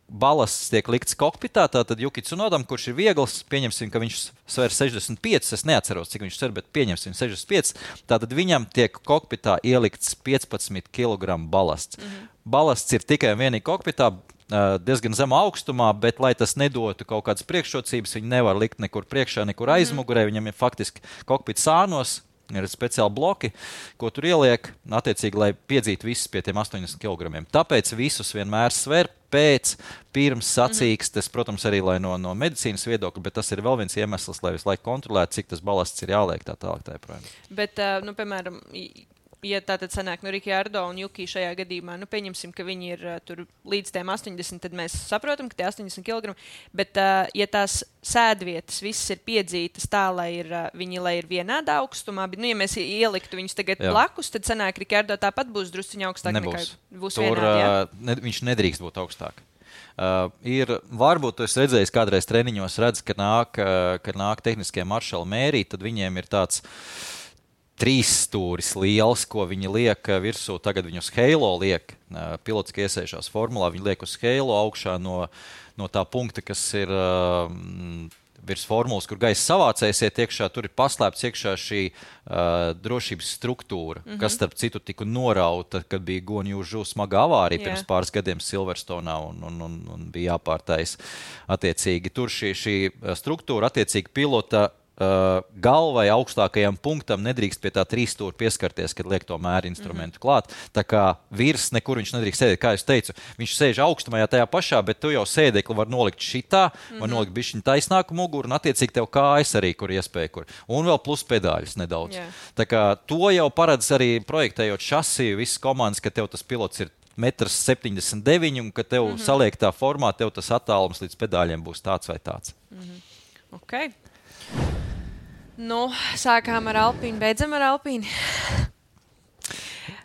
Balasts tiek likts kokpitā, tātad Juki Tsunodam, kurš ir viegls, pieņemsim, ka viņš sver 65, es neatceros, cik viņš sver, bet pieņemsim 65, tātad viņam tiek kokpitā ielikts 15 kg balasts. Balasts ir tikai un vienīgi kokpitā, diezgan zemā augstumā, bet, lai tas nedotu kaut kādas priekšrocības, viņi nevar likt nekur priekšā, nekur aizmugurē, viņam ir faktiski kokpits sānos, ir speciāli bloki, ko tur ieliek, attiecīgi, lai piedzītu visus pie tiem 80 kg. Tāpēc visus vienmēr sver pirms sacīkstes, protams, arī lai no medicīnas viedokļa, bet tas ir vēl viens iemesls, lai visu laiku kontrolētu, cik tas balasts ir jāliek tā tālāk.
Bet, piemēram, ja tā tad sanāk Ricciardo un Juki šajā gadījumā, pieņemsim, ka viņi ir tur līdz tiem 80, tad mēs saprotam, ka tie 80 kg, bet ja tās sēdvietas visas ir piedzītas tā, lai ir vienādā augstumā, bet, ja mēs ieliktu viņus tagad blakus, tad sanāk Ricciardo tāpat būs drusciņā augstāk nekā būs vienādi.
Viņš nedrīkst būt augstāk. Varbūt tu esi redzējis kādreiz treniņos, redz, ka nāk tehniskie maršali mērīt, tad viņiem ir tāds 3 stūris liels, ko viņi liek virsū. Tagad viņi uz Halo liek. Pilots, ka iesējušās formulā, viņi liek uz Halo augšā no tā punkta, kas ir virs formulas, kur gaisa savācējs iet iekšā. Tur ir paslēpts iekšā šī drošības struktūra, kas starp citu tika norauta, kad bija Guan Yu Zhou smaga avārija pirms pāris gadiem Silverstone'ā un bija jāpārtais attiecīgi. Tur šī struktūra attiecīgi pilota galvai augstākajam punktam nedrīkst pie tā 3 stūra pieskarties, kad liek to mēru instrumentu klāt. Tā kā virs nekur viņš nedrīkst sēdēt, kā es teicu, viņš sēž augstumā tajā pašā, bet tu jau sēdekli var nolikt šitā, var nolikt bišķiņu taisnāku muguru, un attiecīgi tev kājas arī, kur iespēja, kur. Un vēl plus pedāļus nedaudz. Tā kā to jau paredz arī projektējot šasiju, visas komandas, ka tev tas pilots ir 1,79 m, un ka tev saliektā formā, tev tas attālums līdz pedāļiem būs tāds vai tāds.
Ok. Sākām ar Alpīnu, beidzam ar Alpīnu.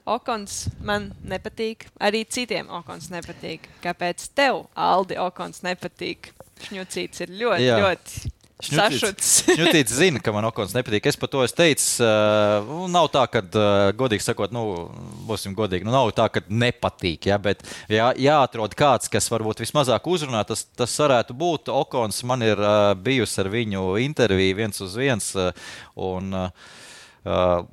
Okons man nepatīk, arī citiem Okons nepatīk. Kāpēc tev, Aldi, Okons nepatīk? Šņucīts ir ļoti sašuts.
Šņucīts zina, ka man Okons nepatīk. Es par to teicu, nav tā, ka, godīgi sakot, būsim godīgi, nav tā, ka nepatīk, bet jāatrod kāds, kas varbūt vismazāk uzrunā, tas varētu būt. Okons, man ir bijusi ar viņu interviju 1 uz 1, un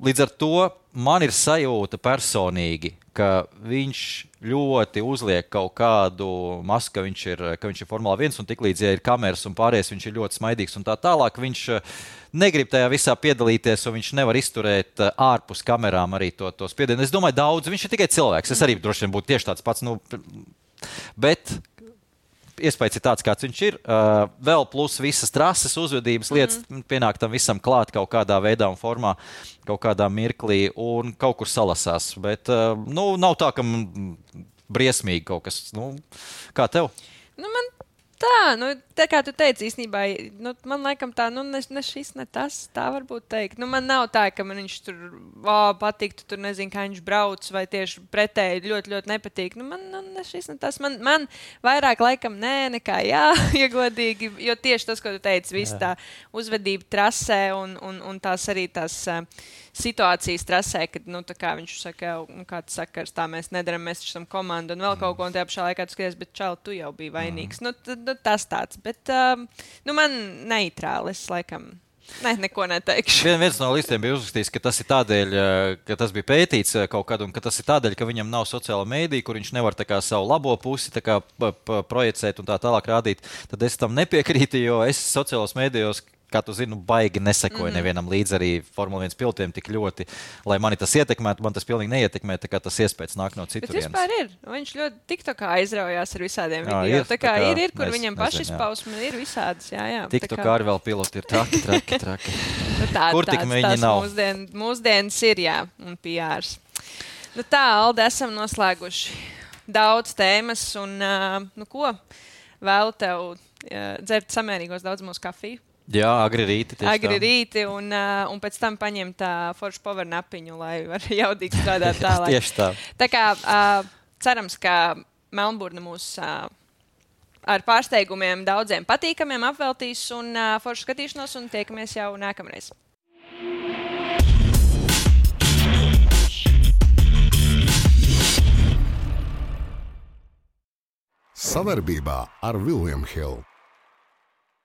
līdz ar to man ir sajūta personīgi, ka viņš ļoti uzliek kaut kādu masku, ka viņš ir Formula 1, un tiklīdz, ja ir kameras un pārējais, viņš ir ļoti smaidīgs un tā tālāk. Viņš negrib tajā visā piedalīties, un viņš nevar izturēt ārpus kamerām arī to spiedienu. Es domāju, daudz, viņš ir tikai cilvēks. Es arī droši vien būtu tieši tāds pats, bet iespējas ir tāds, kāds viņš ir. Vēl plus visas trases, uzvedības lietas pienāk tam visam klāt kaut kādā veidā un formā, kaut kādā mirklī un kaut kur salasās. Bet nav tā, ka briesmīgi kaut kas. Kā tev?
Man tā kā tu teici, īstenībā, man laikam tā, ne šis, ne tas, tā varbūt teikt. Man nav tā, ka man viņš tur patiktu, tur nezinu, kā viņš brauc, vai tieši pretēji ļoti, ļoti nepatīk. Man ne šis, ne tas. Man vairāk laikam nekā jā, iegodīgi, jo tieši tas, ko tu teici, viss tā uzvedība trasē un tās arī tās situācijas trasē, kad, tā kā viņš saka, kāds sakars, tā mēs nedaram, mēs esam komanda un vēl kaut ko, un tajā pašā laikā tu skaties, bet čau, tu jau biji vainīgs. Tas tāds, bet man neitrāli, es laikam neko neteikšu.
Viens no listiem bija uzrakstījis, ka tas ir tādēļ, ka tas bija pētīts kaut kad, un ka tas ir tādēļ, ka viņam nav sociāla mēdīja, kur viņš nevar tā kā savu labo pusi tā kā projicēt un tā tālāk rādīt. Tad es tam nepiekrītu, jo es sociālos mēdījos, kā tu zini, baigi nesekoju nevienam līdz arī Formula 1 pilotiem tik ļoti, lai mani tas ietekmētu, man tas pilnīgi neietekmē, tā kā tas iespējas nāk no citurienes.
Bet vispār ir. Viņš ļoti TikTokā aizraujās ar visādiem video. Tā kā ir, kur viņam pašizpausme ir visādas, jā.
TikTokā arī vēl piloti ir traki. Kur tik viņi nav?
Mūsdienas ir, jā, un PRs. Tā, Alde, esam noslēguši daudz tēmas, un, ko? Vēlu tev dzert samērīgos daudz mūsu kafiju.
Jā, agri rīti,
un pēc tam paņemt foršu power napiņu, lai var jaudīgi strādāt tālāk.
Tieši tā.
Tā kā cerams, ka Melnburna mūs ar pārsteigumiem daudziem patīkamiem apveltīs un foršu skatīšanos, un tiekamies jau nākamreiz.
Savarbībā ar William Hill.